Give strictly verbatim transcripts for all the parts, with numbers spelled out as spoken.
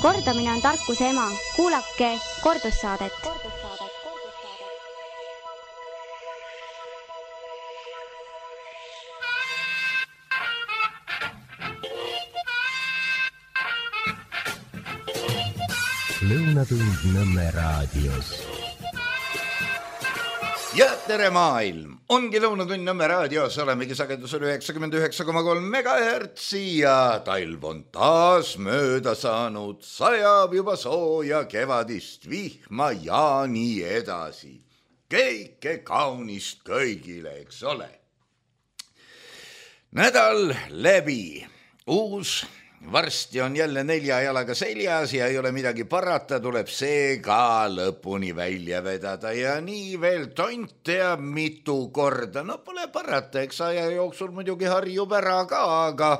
Kordamine on tarkuse ema. Kuulake kordussaadet. Lõunatund Nõmme raadios. Ja tere maailm! Ongi Lõunatund Nõmme raadios, olemegi sagedusel üheksakümmend üheksa koma kolm megahertsi ja talv on taas mööda saanud, sajab juba sooja kevadist vihma ja nii edasi. Kõike kaunist kõigile, eks ole. Nädal läbi, uus varsti on jälle nelja jalaga seljas ja ei ole midagi parata, tuleb see ka lõpuni välja vedada ja nii veel tont teab mitu korda. No pole parata, eks aja jooksul muidugi harjub ära ka, aga,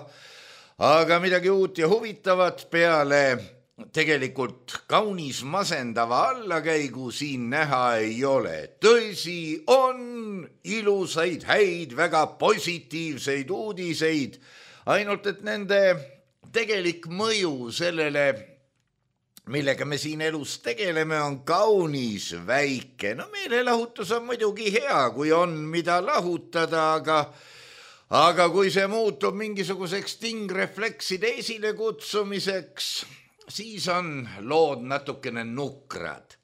aga midagi uut ja huvitavat peale tegelikult kaunis masendava allakäigu siin näha ei ole. Tõsi, on ilusaid, häid, väga positiivseid uudiseid, ainult et nende tegelik mõju sellele, millega me siin elus tegeleme, on kaunis väike. No meelelahutus on muidugi hea, kui on mida lahutada, aga, aga kui see muutub mingisuguseks tingreflekside esile kutsumiseks, siis on lood natukene nukrad.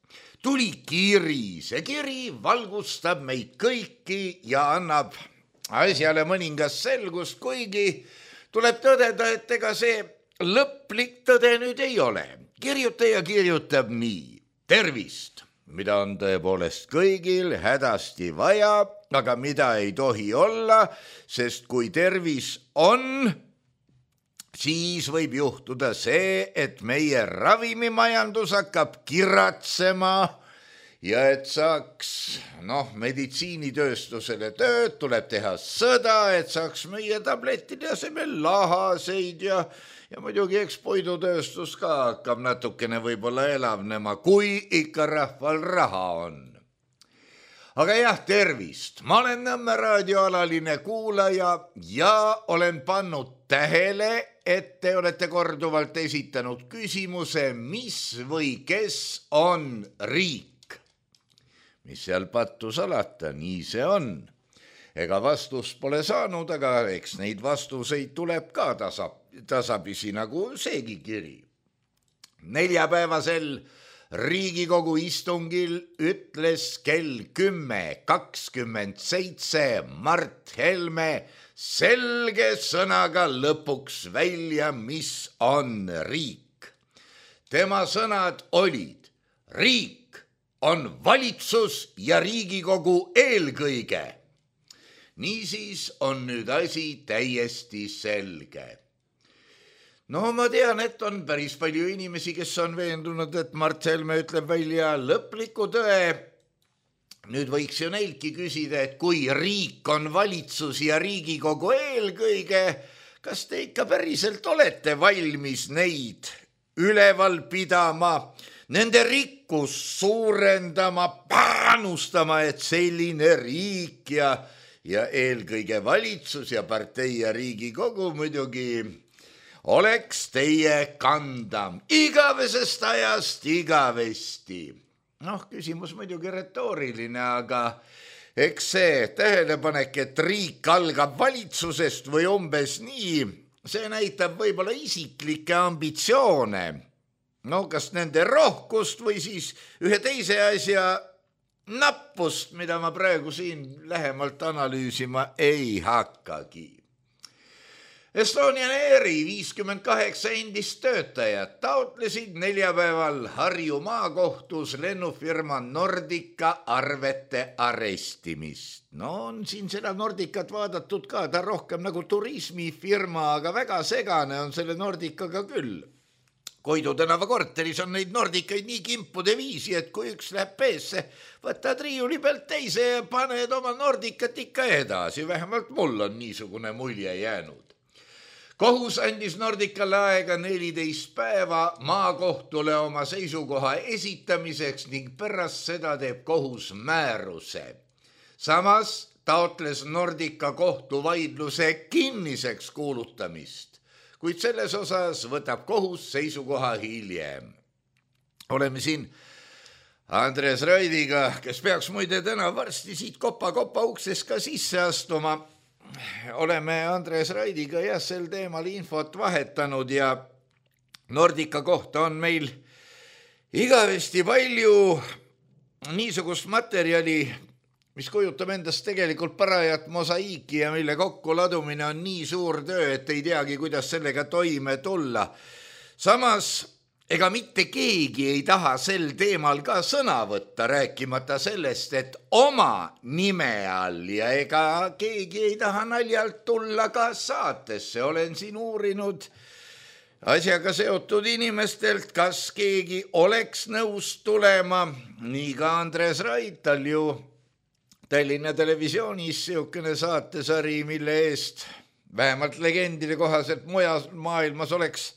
Tuli kiri, see kiri valgustab meid kõiki ja annab asjale mõningast selgust, kuigi tuleb tõdeda, et ega see lõplik tõde nüüd ei ole. Kirjutaja kirjutab nii. Tervist, mida on tõepoolest kõigil hädasti vaja, aga mida ei tohi olla, sest kui tervis on, siis võib juhtuda see, et meie ravimimajandus hakkab kiratsema ja et saaks, noh, meditsiinitööstusele tööd, tuleb teha sõda, et saaks meie tablettide asemel lahaseid ja, ja muidugi eks puidutööstus ka hakkab natukene võib-olla elavnema, kui ikka rahval raha on. Aga jah, tervist. Ma olen Nõmme raadioalaline kuulaja ja olen pannud tähele, et te olete korduvalt esitanud küsimuse, mis või kes on riik. Mis seal pattu salata, nii see on. Ega vastust pole saanud, aga eks neid vastuseid tuleb ka tasa, tasapisi nagu seegi kiri. Neljapäevasel Riigikogu istungil ütles kell kümme kakskümmend seitse Mart Helme selge sõnaga lõpuks välja, mis on riik. Tema sõnad olid riik on valitsus ja Riigikogu eelkõige. Niisiis on nüüd asi täiesti selge. No ma tean, et on päris palju inimesi, kes on veendunud, et Mart Helme ütleb välja lõpliku tõe. Nüüd võiks ju neiltki küsida, et kui riik on valitsus ja Riigikogu eelkõige, kas te ikka päriselt olete valmis neid üleval pidama, nende rikkus suurendama, panustama, et selline riik ja, ja eelkõige valitsus ja partei ja Riigikogu muidugi oleks teie kanda igavesest ajast igavesti. Noh, küsimus muidugi retooriline, aga eks see tähelepanek, et riik algab valitsusest või umbes nii, see näitab võib-olla isiklikke ambitsioone. No kas nende rohkust või siis ühe teise asja nappust, mida ma praegu siin lähemalt analüüsima ei hakkagi. Estonian Airi viiskümmend kaheksa endist töötajat taotlesid neljapäeval Harju maakohtus lennufirma Nordica arvete arestimist. No on siin seda Nordicat vaadatud ka, ta rohkem nagu turismifirma, aga väga segane on selle Nordicaga küll. Koidu tänava korteris on neid Nordicaid nii kimpude viisi, et kui üks läheb peesse, võtad riiuli pealt teise ja paned oma Nordicat ikka edasi. Vähemalt mul on niisugune mulje jäänud. Kohus andis Nordicale aega neliteist päeva maakohtule oma seisukoha esitamiseks ning pärast seda teeb kohus määruse. Samas taotles Nordica kohtuvaidluse kinniseks kuulutamist. kuid selles osas võtab kohus seisukoha hiljem. Oleme siin Andres Raidiga, kes peaks muide täna varsti siit kopa-kopa ukses ka sisse astuma. Oleme Andres Raidiga jah sel teemal infot vahetanud ja Nordica kohta on meil igavesti palju niisugust materjali, mis kujutab endast tegelikult parajat mosaiiki ja mille kokkuladumine on nii suur töö, et ei teagi, kuidas sellega toime tulla. Samas ega mitte keegi ei taha sel teemal ka sõna võtta, rääkimata sellest, et oma nime all ja ega keegi ei taha naljalt tulla ka saatesse. Olen siin uurinud asjaga seotud inimestelt, kas keegi oleks nõus tulema. Nii ka Andres Rait, tal ju Tallinna Televisioonis siukene saatesari, mille eest vähemalt legendide kohaselt mujal maailmas oleks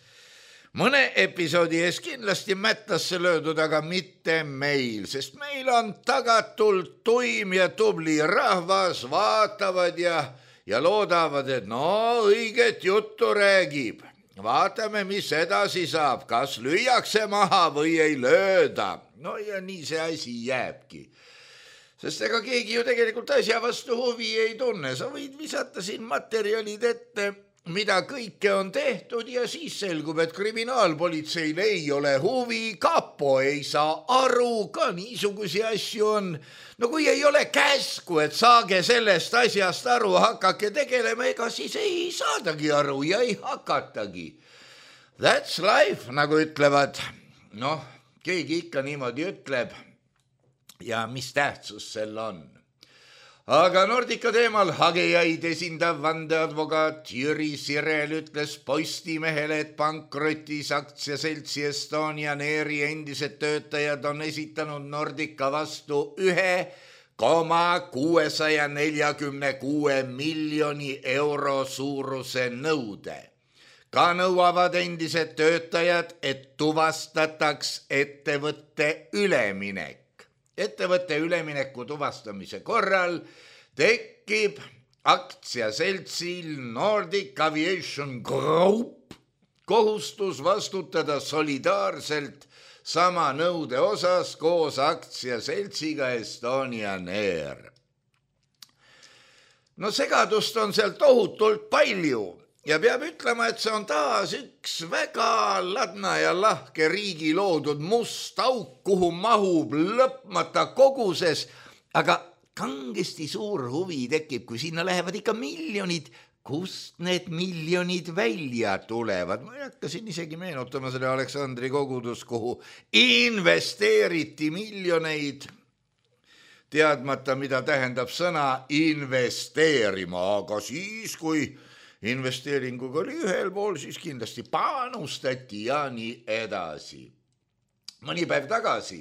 mõne episoodi ees kindlasti mättasse löödud, aga mitte meil, sest meil on tagatult tuim ja tubli rahvas, vaatavad ja, ja loodavad, et no õiget juttu räägib. Vaatame, mis edasi saab, kas lüüakse maha või ei lööda. No ja nii see asi jääbki. Sest ega keegi ju tegelikult asja vastu huvi ei tunne. Sa võid visata siin materjalid ette, mida kõike on tehtud ja siis selgub, et kriminaalpolitseil ei ole huvi, kapo ei saa aru, ka niisugusi asju on. No kui ei ole käsku, et saage sellest asjast aru, hakake tegelema, ega siis ei saadagi aru ja ei hakatagi. That's life, nagu ütlevad. Noh, keegi ikka niimoodi ütleb ja mis tähtsus sel on. Aga Nordica teemal hagejaid esindav vandeadvokaat Jüri Sirel ütles Postimehele, et pankrotis aktsiaseltsi Estonian Airi endised töötajad on esitanud Nordica vastu ühe koma kuuesaja neljakümne kuue miljoni euro suuruse nõude. Ka nõuavad endised töötajad, et tuvastataks ettevõtte üleminek. Ettevõtte ülemineku tuvastamise korral tekib aktsiaseltsil Nordic Aviation Group kohustus vastutada solidaarselt sama nõude osas koos aktsiaseltsiga Estonian Air. No segadust on seal tohutult palju ja peab ütlema, et see on taas üks väga ladna ja lahke riigi loodud must auk, kuhu mahub lõpmata koguses, aga kangesti suur huvi tekib, kui sinna lähevad ikka miljonid, kust need miljonid välja tulevad. Ma hakkasin isegi meenutama selle Aleksandri kogudus, kuhu investeeriti miljoneid, teadmata, mida tähendab sõna investeerima, aga siis, kui investeeringuga oli ühel pool, siis kindlasti panustati ja nii edasi. Mõni päev tagasi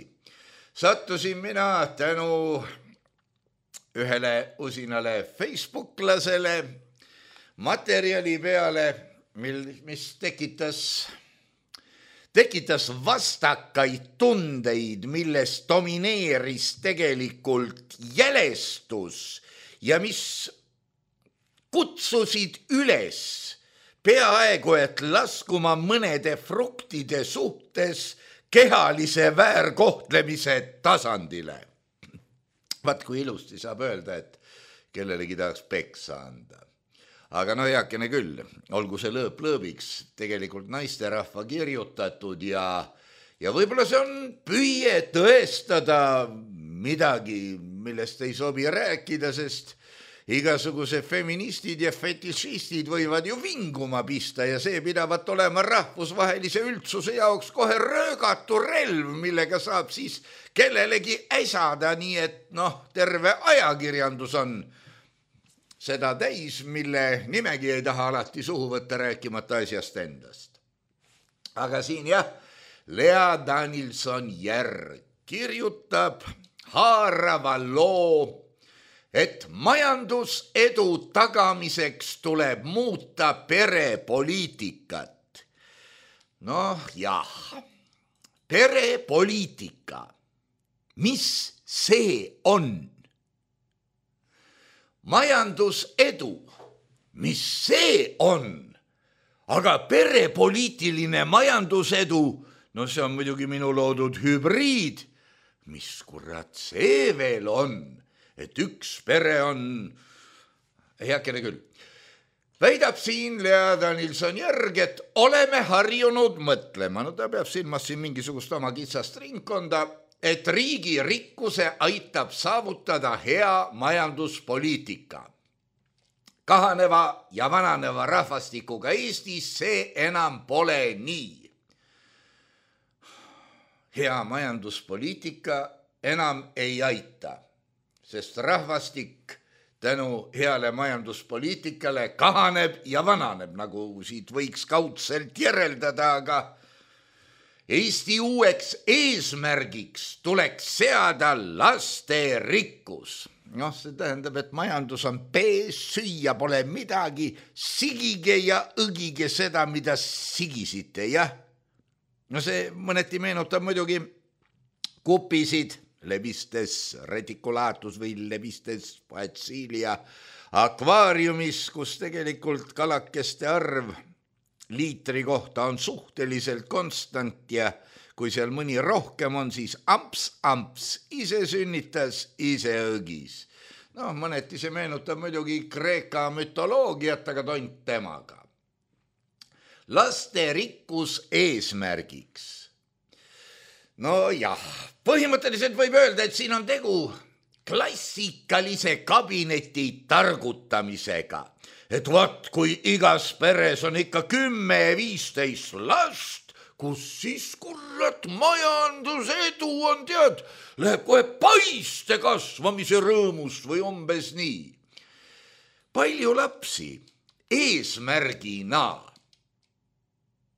sattusin mina tänu ühele usinale Facebooklasele materjali peale, mis tekitas, tekitas vastakaid tundeid, milles domineeris tegelikult jälestus ja mis kutsusid üles peaaegu, et laskuma mõnede fruktide suhtes kehalise väärkohtlemise tasandile. Vaat kui ilusti saab öelda, et kellelegi tahaks peksa anda. Aga no heakene küll, olgu see lõõp lõõbiks, tegelikult naisterahva kirjutatud ja, ja võib-olla see on püüe tõestada midagi, millest ei sobi rääkida, sest igasuguse feministid ja fetišistid võivad ju vinguma pista ja see pidavat olema rahvusvahelise üldsuse jaoks kohe röögatu relv, millega saab siis kellelegi äsada, nii et noh, terve ajakirjandus on seda täis, mille nimegi ei taha alati suhu võtta, rääkimata asjast endast. Aga siin jah, Lea Danilson-Järg kirjutab haarava loo, et majandusedu tagamiseks tuleb muuta perepoliitikat. Noh jah, perepoliitika, mis see on? Majandusedu, mis see on? aga perepoliitiline majandusedu, no see on muidugi minu loodud hübriid. Mis kurat see veel on, et üks pere on, heakene küll, väidab siin Lea Danilson järg, et oleme harjunud mõtlema, no ta peab silmas siin mingisugust oma kitsast ringkonda, et riigi rikkuse aitab saavutada hea majanduspoliitika. Kahaneva ja vananeva rahvastikuga Eestis see enam pole nii. Hea majanduspoliitika enam ei aita, sest rahvastik tänu heale majanduspoliitikale kahaneb ja vananeb, nagu siit võiks kaudselt järeldada, aga Eesti uueks eesmärgiks tuleks seada lasterikkus. Noh, see tähendab, et majandus on pees, süüa pole midagi, sigige ja õgige seda, mida sigisite, jah. No see mõneti meenutab muidugi kupisid, Levistes reticulatus või Levistes poetsilia akvaariumis, kus tegelikult kalakeste arv liitri kohta on suhteliselt konstant ja kui seal mõni rohkem on, siis amps, amps, ise sünnitas, ise õgis. No, mõneti see meenutab muidugi Kreeka mütoloogiat, aga tont temaga. Lasterikkus eesmärgiks. No jah, põhimõtteliselt võib öelda, et siin on tegu klassikalise kabineti targutamisega. Et vaat, kui igas peres on ikka kümme ja viisteist last, kus siis kurat majandusedu on, tead, läheb kohe paiste kasvamise rõõmust või umbes nii. Palju lapsi eesmärgina.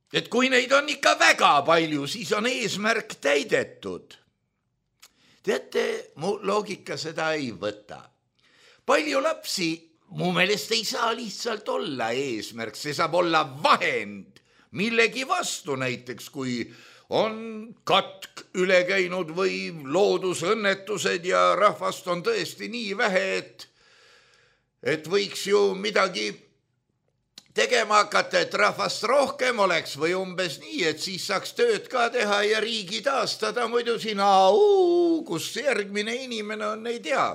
Et kui neid on ikka väga palju, siis on eesmärk täidetud. Teate, mu loogika seda ei võta. Palju lapsi mu meelest ei saa lihtsalt olla eesmärk, see saab olla vahend millegi vastu, näiteks kui on katk üle käinud või loodusõnnetused ja rahvast on tõesti nii vähe, et, et võiks ju midagi tegema hakata, et rahvast rohkem oleks või umbes nii, et siis saaks tööd ka teha ja riigi taastada, muidu siin, au, kus järgmine inimene on, ei tea.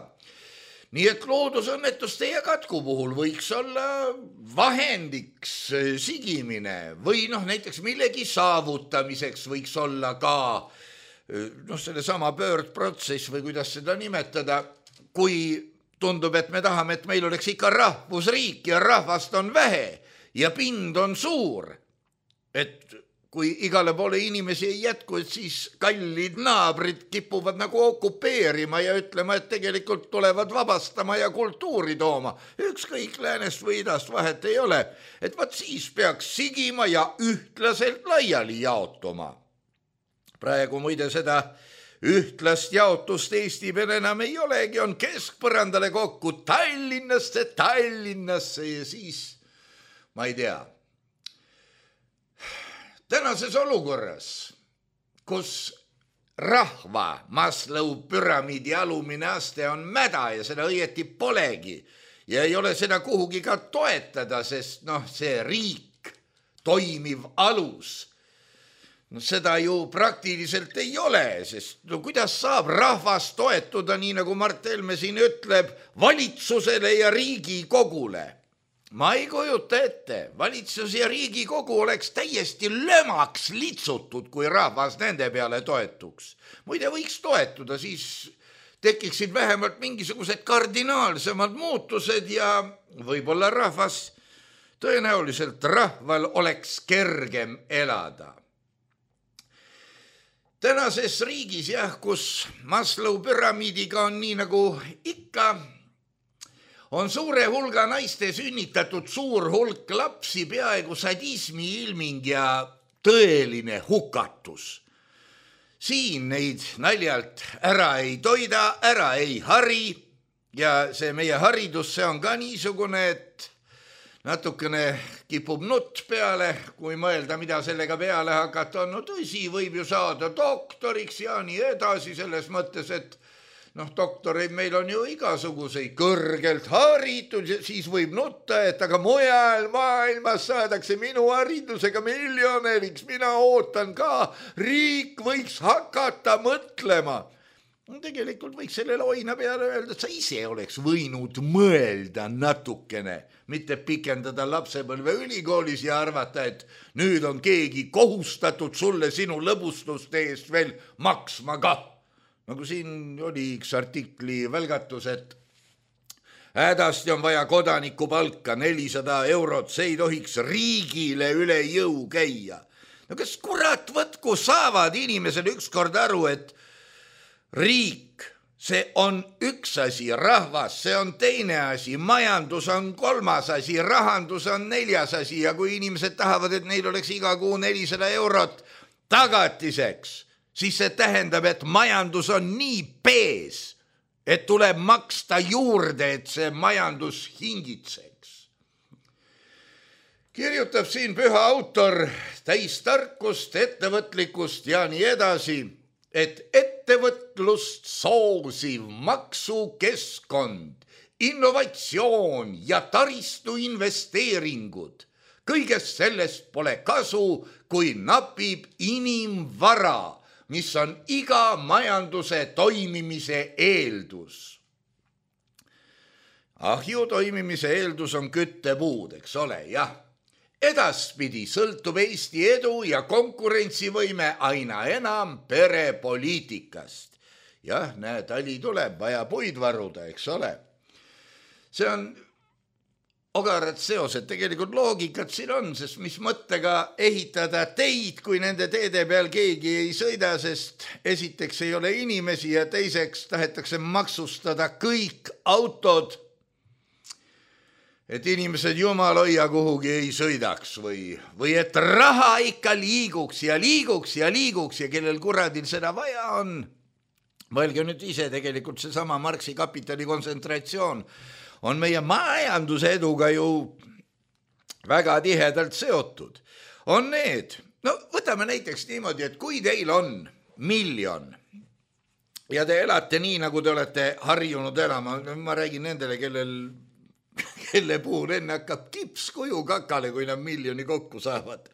Nii et loodusõnnetuste ja katku puhul võiks olla vahendiks sigimine või noh, näiteks millegi saavutamiseks võiks olla ka noh, selle sama pöördprotsess või kuidas seda nimetada, kui tundub, et me tahame, et meil oleks ikka rahvusriik ja rahvast on vähe ja pind on suur, et kui igale poole inimesi ei jätku, et siis kallid naabrid kipuvad nagu okupeerima ja ütlema, et tegelikult tulevad vabastama ja kultuuri tooma. Ükskõik läänest või idast vahet ei ole, et vaat siis peaks sigima ja ühtlaselt laiali jaotuma. Praegu muide seda ühtlast jaotust Eesti peal enam ei olegi, on keskpõrandale kokku Tallinnasse, Tallinnasse ja siis, ma ei tea, tänases olukorras, kus rahva Maslow püramiidi alumine aste on mäda ja seda õieti polegi ja ei ole seda kuhugi ka toetada, sest noh, see riik, toimiv alus, no seda ju praktiliselt ei ole, sest no kuidas saab rahvas toetuda, nii nagu Mart Helme siin ütleb, valitsusele ja Riigikogule? Ma ei kujuta ette, valitsus ja Riigikogu oleks täiesti lömaks litsutud, kui rahvas nende peale toetuks. Muide võiks toetuda, siis tekiksid vähemalt mingisugused kardinaalsemad muutused ja võib-olla rahvas, tõenäoliselt rahval oleks kergem elada. Tänases riigis jah, kus Maslow püramiidiga on nii nagu ikka, on suure hulga naiste sünnitatud suur hulk lapsi, peaaegu sadismi ilming ja tõeline hukatus. Siin neid naljalt ära ei toida, ära ei hari ja see meie haridus, see on ka niisugune, et natukene kipub nutt peale, kui mõelda, mida sellega peale hakata on. No tõsi, võib ju saada doktoriks ja nii edasi selles mõttes, et noh, doktoreid meil on ju igasuguseid kõrgelt haritud, siis võib nutta, et aga mujal maailmas saadakse minu haridusega miljonäriks, mina ootan ka, riik võiks hakata mõtlema. Tegelikult võiks sellele oina peale öelda, et sa ise oleks võinud mõelda natukene, mitte pikendada lapsepõlve ülikoolis ja arvata, et nüüd on keegi kohustatud sulle sinu lõbustuste eest veel maksma ka. Nagu siin oli üks artikli välgatus, et hädasti on vaja kodaniku palka nelisada eurot, see ei tohiks riigile üle jõu käia. No kas kurat võtku saavad inimesel ükskord aru, et riik, see on üks asi, rahvas, see on teine asi, majandus on kolmas asi, rahandus on neljas asi ja kui inimesed tahavad, et neil oleks iga kuu nelisada eurot tagatiseks, siis see tähendab, et majandus on nii pees, et tuleb maksta juurde, et see majandus hingitseks. Kirjutab siin püha autor täis tarkust, ettevõtlikkust ja nii edasi, et ettevõtlust soosiv maksukeskkond, innovatsioon ja taristu investeeringud, kõigest sellest pole kasu, kui napib inimvara, mis on iga majanduse toimimise eeldus. Ahju toimimise eeldus on küttepuud, eks ole, jah. Edaspidi sõltub Eesti edu ja konkurentsivõime aina enam perepoliitikast. Jah, näe, tali tuleb, vaja puid varuda, eks ole. See on ogarad seosed, tegelikult loogikat siin on, sest mis mõttega ehitada teid, kui nende teede peal keegi ei sõida, sest esiteks ei ole inimesi ja teiseks tahetakse maksustada kõik autod, et inimesed jumal hoia kuhugi ei sõidaks või, või et raha ikka liiguks ja liiguks ja liiguks ja kellel kuradil seda vaja on. Mõelge nüüd ise tegelikult seesama Marxi kapitali kontsentratsioon on meie majanduse eduga ju väga tihedalt seotud. On need, no võtame näiteks niimoodi, et kui teil on miljon ja te elate nii, nagu te olete harjunud elama, ma räägin nendele, kellel, kelle puhul enne hakkab kipskuju kakale, kui nad miljoni kokku saavad.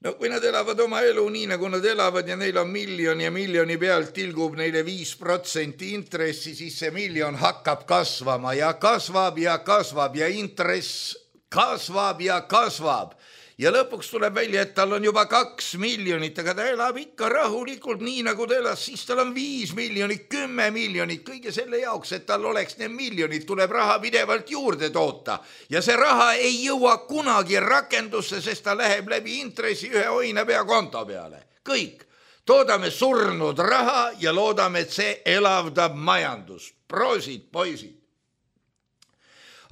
No kui nad elavad oma elu nii, nagu nad elavad ja neil on miljon ja miljoni pealt tilgub neile viis protsenti intressi, siis see miljon hakkab kasvama ja kasvab ja kasvab ja intress kasvab ja kasvab. Ja lõpuks tuleb välja, et tal on juba kaks miljonit, aga ta elab ikka rahulikult nii, nagu ta elas, siis tal on viis miljonit, kümme miljonit, kõige selle jaoks, et tal oleks need miljonid, tuleb raha pidevalt juurde toota. Ja see raha ei jõua kunagi rakendusse, sest ta läheb läbi intressi ühe oinapea konto peale. Kõik. Toodame surnud raha ja loodame, et see elavdab majandust. Proosid, poisid.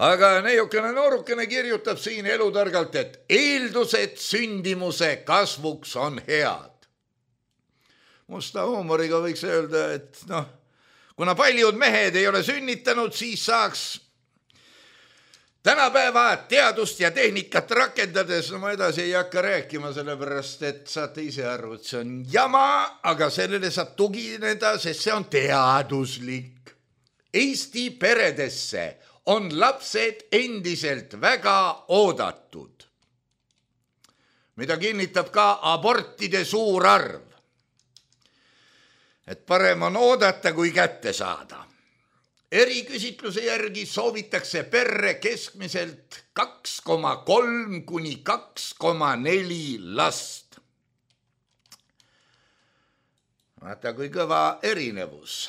Aga neiukene noorukene kirjutab siin elutargalt, et eeldused sündimuse kasvuks on head. Musta huumoriga võiks öelda, et noh, kuna paljud mehed ei ole sünnitanud, siis saaks tänapäeva teadust ja tehnikat rakendades, no ma edasi ei hakka rääkima, sellepärast, et saate ise aru, et see on jama, aga sellele saab tugineda, sest see on teaduslik. Eesti peredesse on lapsed endiselt väga oodatud, mida kinnitab ka abortide suur arv. Et parem on oodata, kui kätte saada. Eriküsitluse järgi soovitakse perre keskmiselt kaks koma kolm kuni kaks koma neli last. Vaata, kui kõva erinevus.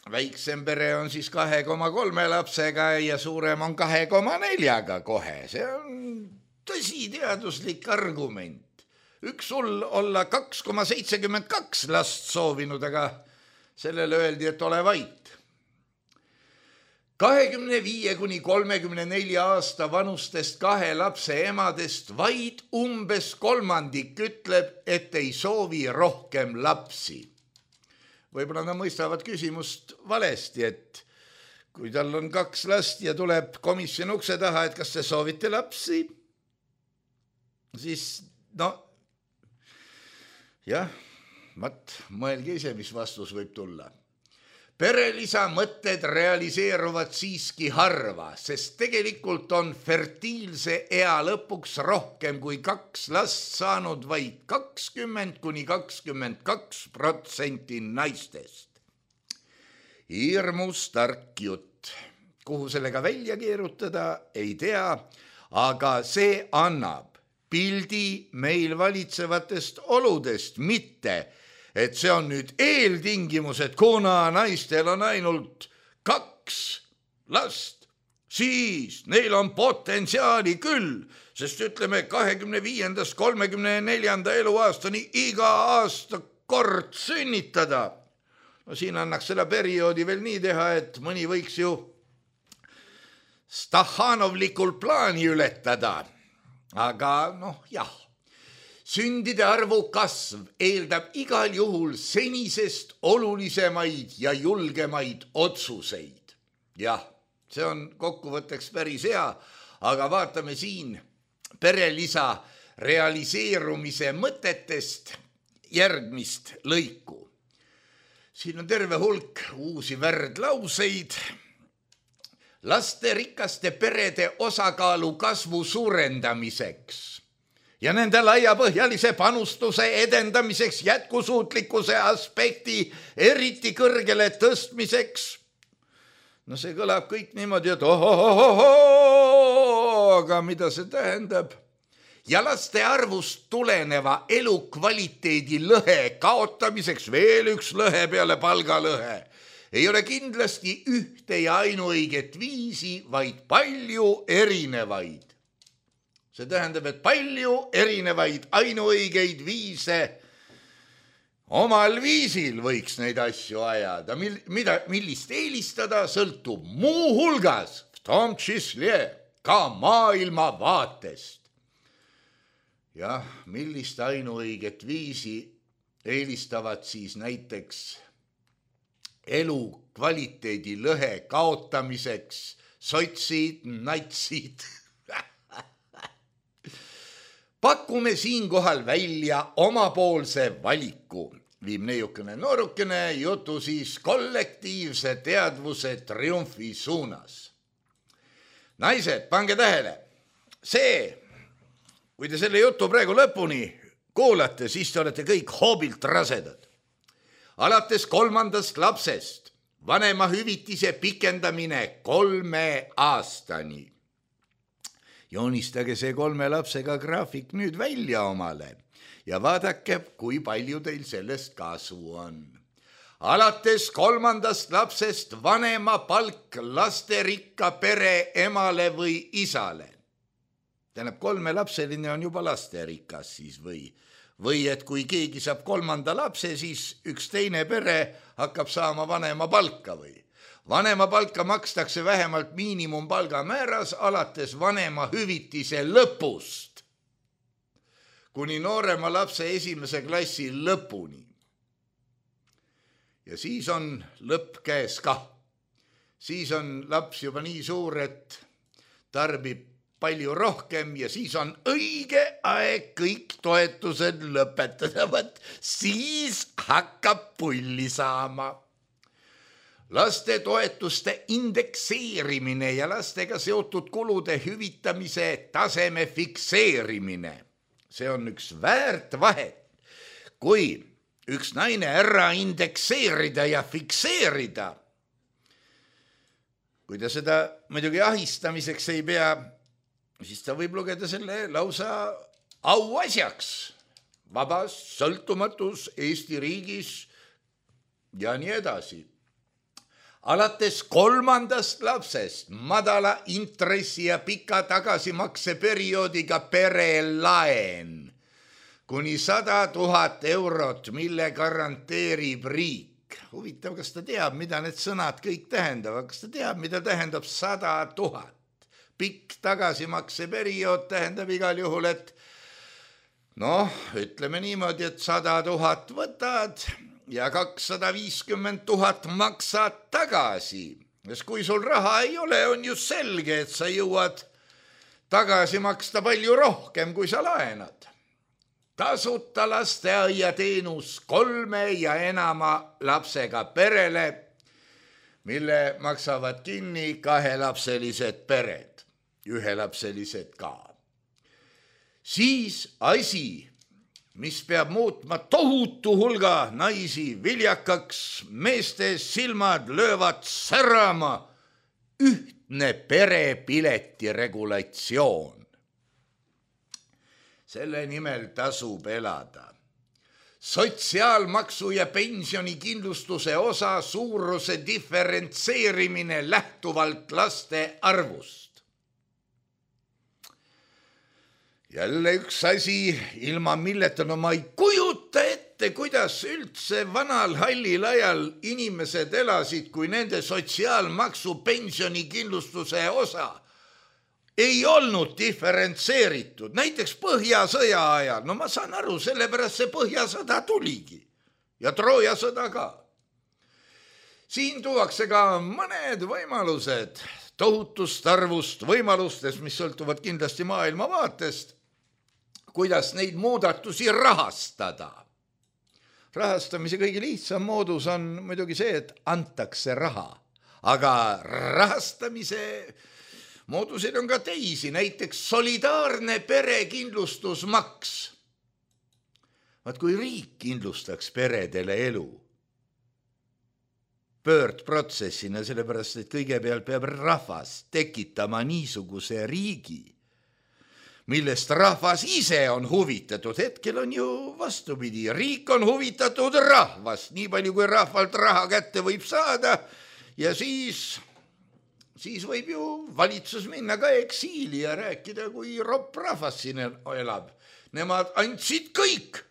Väiksem pere on siis kahe koma kolme lapsega ja suurem on kahe koma neljaga kohe. See on tõsi teaduslik argument. Üks sul olla kaks koma seitsekümmend kaks last soovinud, aga sellele öeldi, et ole vait. kahekümne viie kuni kolmekümne nelja aasta vanustest kahe lapse emadest vaid umbes kolmandik ütleb, et ei soovi rohkem lapsi. Võib-olla nad mõistavad küsimust valesti, et kui tal on kaks last ja tuleb komisjon ukse taha, et kas te soovite lapsi, siis no jah, mat, mõelge ise, mis vastus võib tulla. perelisa mõtted realiseeruvad siiski harva, sest tegelikult on fertiilse ea lõpuks rohkem kui kaks last saanud vaid kakskümmend kuni kakskümmend kaks protsenti naistest. Hirmus tark jutt. Kuhu sellega välja keerutada, ei tea, aga see annab pildi meil valitsevatest oludest, mitte et see on nüüd eeltingimus, et kuna naistel on ainult kaks last, siis neil on potentsiaali küll, sest ütleme kahekümne viiendast kolmekümne neljanda eluaastani iga aasta kord sünnitada. No siin annaks selle perioodi veel nii teha, et mõni võiks ju Stahhanovlikul plaani ületada. Aga noh, jah. Sündide arvu kasv eeldab igal juhul senisest olulisemaid ja julgemaid otsuseid. Jah, see on kokkuvõtteks päris hea, aga vaatame siin perelisa realiseerumise mõtetest järgmist lõiku. Siin on terve hulk uusi värdlauseid. Lasterikaste perede osakaalu kasvu suurendamiseks ja nende laiapõhjalise panustuse edendamiseks jätkusuutlikkuse aspekti eriti kõrgele tõstmiseks. No see kõlab kõik niimoodi, et ohohohoho, aga mida see tähendab? Ja laste arvust tuleneva elukvaliteedi lõhe kaotamiseks veel üks lõhe peale palgalõhe. Ei ole kindlasti ühte ja ainuõiget viisi, vaid palju erinevaid. See tähendab, et palju erinevaid ainuõigeid viise omal viisil võiks neid asju ajada. Mida, millist eelistada sõltub muu hulgas, v tom čísle, ka maailma vaatest. Jah, millist ainuõiget viisi eelistavad siis näiteks elu kvaliteedi lõhe kaotamiseks sotsid, natsid. Pakume siinkohal välja omapoolse valiku. Viib neiukene noorukene jutu siis kollektiivse teadvuse triumfi suunas. Naised, pange tähele. See, kui te selle jutu praegu lõpuni kuulate, siis te olete kõik hoobilt rasedad. Alates kolmandast lapsest vanema hüvitise pikendamine kolme aastani. Joonistage see kolme lapsega graafik nüüd välja omale ja vaadake, kui palju teil sellest kasu on. Alates kolmandast lapsest vanema palk lasterikka pere emale või isale. Tähendab, kolmelapseline on juba lasterikas siis või, või et kui keegi saab kolmanda lapse, siis üks teine pere hakkab saama vanema palka või. Vanema palka makstakse vähemalt miinimumpalga määras alates vanema hüvitise lõpust kuni noorema lapse esimese klassi lõpuni. Ja siis on lõpp käes ka. Siis on laps juba nii suur, et tarbib palju rohkem ja siis on õige aeg kõik toetused lõpetada. Võt, siis hakkab pulli saama. Laste toetuste indekseerimine ja lastega seotud kulude hüvitamise taseme fikseerimine. See on üks väärt vahet. Kui üks naine ära indekseerida ja fikseerida, kui ta seda muidugi ahistamiseks ei pea, siis ta võib lugeda selle lausa auasjaks. Vabas sõltumatus Eesti riigis ja nii edasi. Alates kolmandast lapsest madala intressi ja pika tagasimakse perioodiga perelaen kuni sada tuhat eurot, mille garanteerib riik. Huvitav, kas ta teab, mida need sõnad kõik tähendavad? Kas ta teab, mida tähendab sada tuhat? Pikk tagasimakse periood tähendab igal juhul, et noh, ütleme niimoodi, et sada tuhat võtad ja kakssada viiskümmend tuhat maksad tagasi. Sest kui sul raha ei ole, on ju selge, et sa jõuad tagasi maksta palju rohkem, kui sa laenad. Tasuta lasteaiateenus kolme ja enama lapsega perele mille maksavad kinni kahelapselised pered, ühelapselised ka. Siis asi, mis peab muutma tohutu hulga naisi viljakaks, meeste silmad löövad särama, ühtne perepileti regulatsioon. Selle nimel tasub elada. Sotsiaalmaksu ja pensionikindlustuse osa suuruse diferentseerimine lähtuvalt laste arvust. Jälle üks asi, ilma milleta no ma ei kujuta ette, kuidas üldse vanal hallil ajal inimesed elasid, kui nende sotsiaalmaksu pensionikindlustuse osa ei olnud diferentseeritud, näiteks Põhjasõja ajal. No ma saan aru, sellepärast see Põhjasõda tuligi ja Trooja sõda ka. Siin tuuakse ka mõned võimalused tohutust arvust võimalustest, mis sõltuvad kindlasti maailma vaatest, kuidas neid muudatusi rahastada. Rahastamise kõige lihtsam moodus on muidugi see, et antakse raha, aga rahastamise mooduseid on ka teisi, näiteks solidaarne perekindlustusmaks. Vaat kui riik kindlustaks peredele elu pöördprotsessina, sellepärast, et kõigepealt peab rahvas tekitama niisuguse riigi, millest rahvas ise on huvitatud. Hetkel on ju vastupidi, riik on huvitatud rahvast, nii palju kui rahvalt raha kätte võib saada ja siis... siis võib ju valitsus minna ka eksiili ja rääkida, kui ropp rahvas siin elab. Nemad andsid kõik,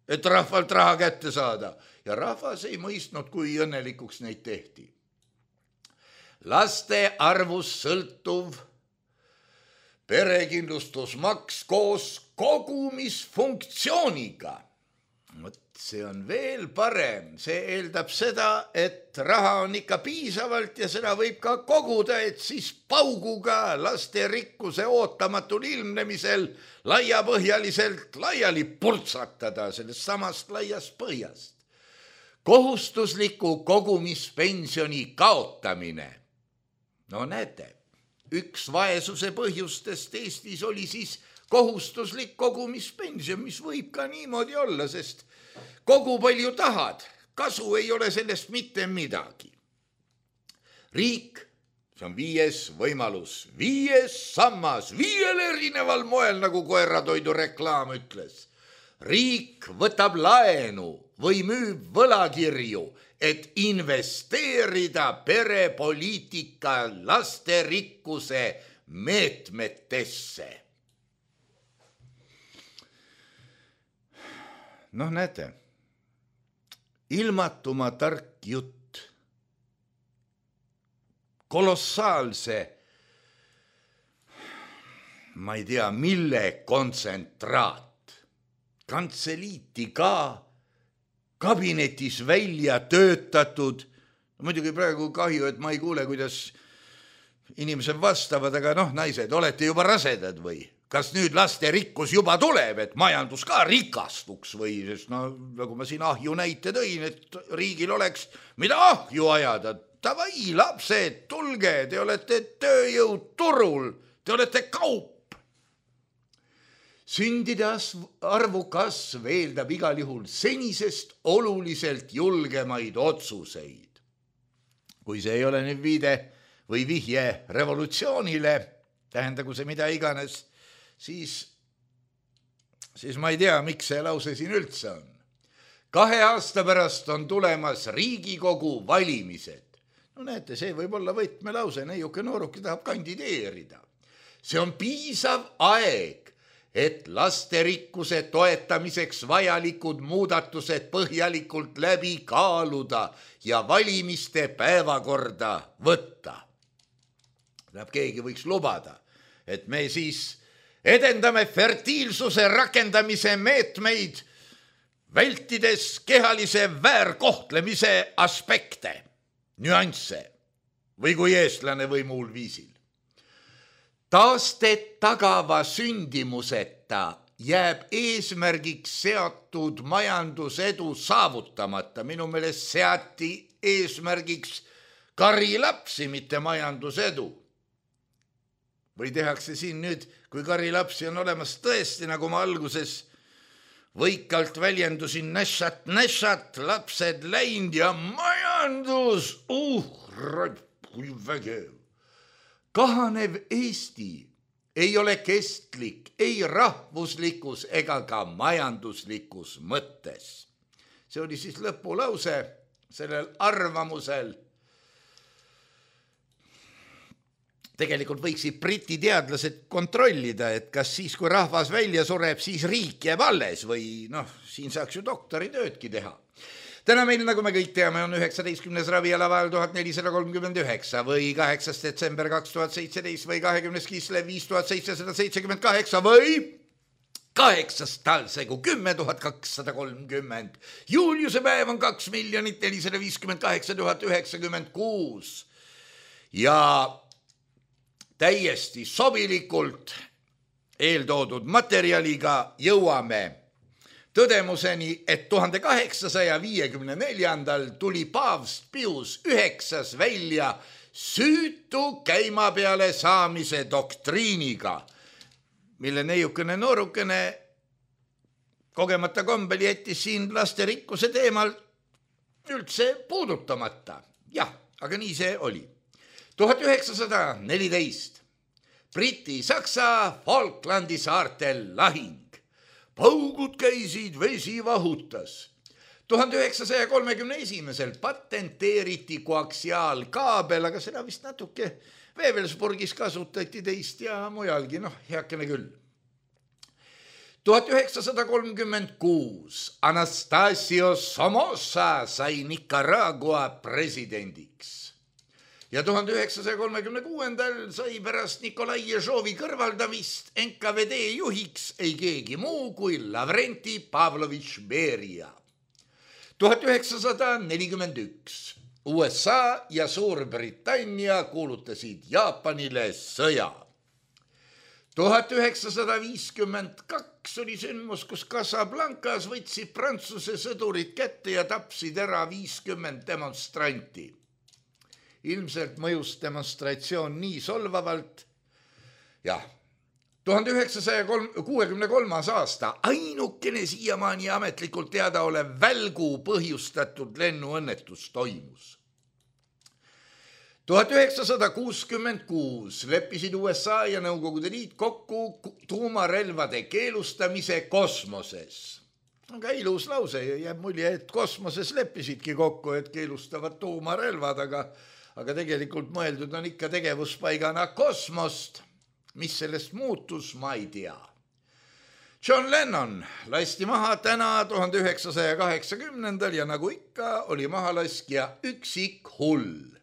et rahvalt raha kätte saada ja rahvas ei mõistnud, kui õnnelikuks neid tehti. Laste arvust sõltuv perekindlustusmaks koos kogumisfunktsiooniga. See on veel parem, see eeldab seda, et raha on ikka piisavalt ja seda võib ka koguda, et siis pauguga laste rikkuse ootamatul ilmnemisel laiapõhjaliselt laiali purtsatada sellest samast laiast põhjast. Kohustusliku kogumispensioni kaotamine. No näete, üks vaesuse põhjustest Eestis oli siis kohustuslik kogumispension, mis võib ka niimoodi olla, sest kogu palju tahad, kasu ei ole sellest mitte midagi. Riik, see on viies võimalus, viies sammas, viiel erineval moel, nagu koeratoidu reklaam ütles. Riik võtab laenu või müüb võlakirju, et investeerida perepoliitika lasterikkuse meetmetesse. Noh, näete, ilmatuma tark jutt, kolossaalse, ma ei tea, mille kontsentraat, kantseliiti ka kabinetis välja töötatud. Muidugi praegu kahju, et ma ei kuule, kuidas inimesed vastavad, aga noh, naised, olete juba rasedad või? Kas nüüd laste rikkus juba tuleb, et majandus ka rikastuks või, sest no, nagu ma siin ahju näite tõin, et riigil oleks mida ahju ajada. Tavai, lapsed, tulge, te olete tööjõud turul, te olete kaup. Sündide arvu kasv eeldab igal juhul senisest oluliselt julgemaid otsuseid. Kui see ei ole nüüd viide või vihje revolutsioonile, tähendagu see mida iganes, Siis, siis ma ei tea, miks see lause siin üldse on. Kahe aasta pärast on tulemas Riigikogu valimised. No näete, see võib olla võtmelause, neiuke nooruke tahab kandideerida. See on piisav aeg, et lasterikkuse toetamiseks vajalikud muudatused põhjalikult läbi kaaluda ja valimiste päevakorda võtta. Tähendab, keegi võiks lubada, et me siis edendame fertiilsuse rakendamise meetmeid, vältides kehalise väärkohtlemise aspekte, nüansse või kui eestlane või muul viisil. Taastet tagava sündimuseta jääb eesmärgiks seatud majandusedu saavutamata. Minu meelest seati eesmärgiks karilapsi, mitte majandusedu. Või tehakse siin nüüd, kui karilapsi on olemas tõesti, nagu ma alguses võikalt väljendusin, näšat, näšat, lapsed läinud ja majandus, uh, kui vägev. Kahanev Eesti ei ole kestlik, ei rahvuslikus ega ka majanduslikus mõttes. See oli siis lõpulause sellel arvamusel. Tegelikult võiksid briti teadlased kontrollida, et kas siis, kui rahvas välja sureb, siis riik jääb alles või noh, siin saaks ju doktoritöödki teha. Täna meil, nagu me kõik teame, on üheksateistkümnes ravialavael tuhat nelisada kolmkümmend üheksa või kaheksas detsember kaks tuhat seitseteist või kahekümnes kislev viis tuhat seitsesada seitsekümmend kaheksa või kaheksas talsegu kümme tuhat kakssada kolmkümmend. Juuliuse päev on kaks miljonit nelisada viiskümmend kaheksa tuhat üheksakümmend kuus ja täiesti sobilikult eeltoodud materjaliga jõuame tõdemuseni, et tuhande kaheksasaja viiekümne neljandal tuli paavst Pius üheksas välja süütu käima peale saamise doktriiniga, mille neiukene noorukene kogemata kombel jättis siin lasterikkuse teemal üldse puudutamata. Jah, aga nii see oli. tuhat üheksasada neliteist Briti-Saksa Falklandi saartel lahing. Paugud käisid, vesi vahutas. tuhande üheksasaja kolmekümne esimesel patenteeriti koaksiaalkaabel, aga seda vist natuke Wewelsburgis kasutati teist ja mujalgi, noh, heakene küll. tuhat üheksasada kolmkümmend kuus Anastasio Somoza sai Nicaragua presidendiks. Ja tuhande üheksasaja kolmekümne kuuendal sai pärast Nikolai Ježovi kõrvaldamist N K V D juhiks ei keegi muu kui Lavrenti Pavlovitš Beria. tuhat üheksasada nelikümmend üks U S A ja Suurbritannia kuulutasid Jaapanile sõja. tuhat üheksasada viiskümmend kaks oli sündmus, kus Casablancas võtsid Prantsuse sõdurid kätte ja tapsid ära viiskümmend demonstranti. Ilmselt mõjus demonstratsioon nii solvavalt. Jah, tuhande üheksasaja kuuekümne kolmas aasta ainukene siiamaani ametlikult teada olev välgu põhjustatud lennuõnnetus toimus. tuhat üheksasada kuuskümmend kuus leppisid U S A ja Nõukogude Liit kokku tuumarelvade keelustamise kosmoses. Aga ilus lause ja jääb mulje, et kosmoses leppisidki kokku, et keelustavad tuumarelvad, aga aga tegelikult mõeldud on ikka tegevuspaigana kosmost. Mis sellest muutus, ma ei tea. John Lennon lasti maha täna tuhande üheksasaja kaheksakümnendal ja nagu ikka oli mahalaskja üksik hull.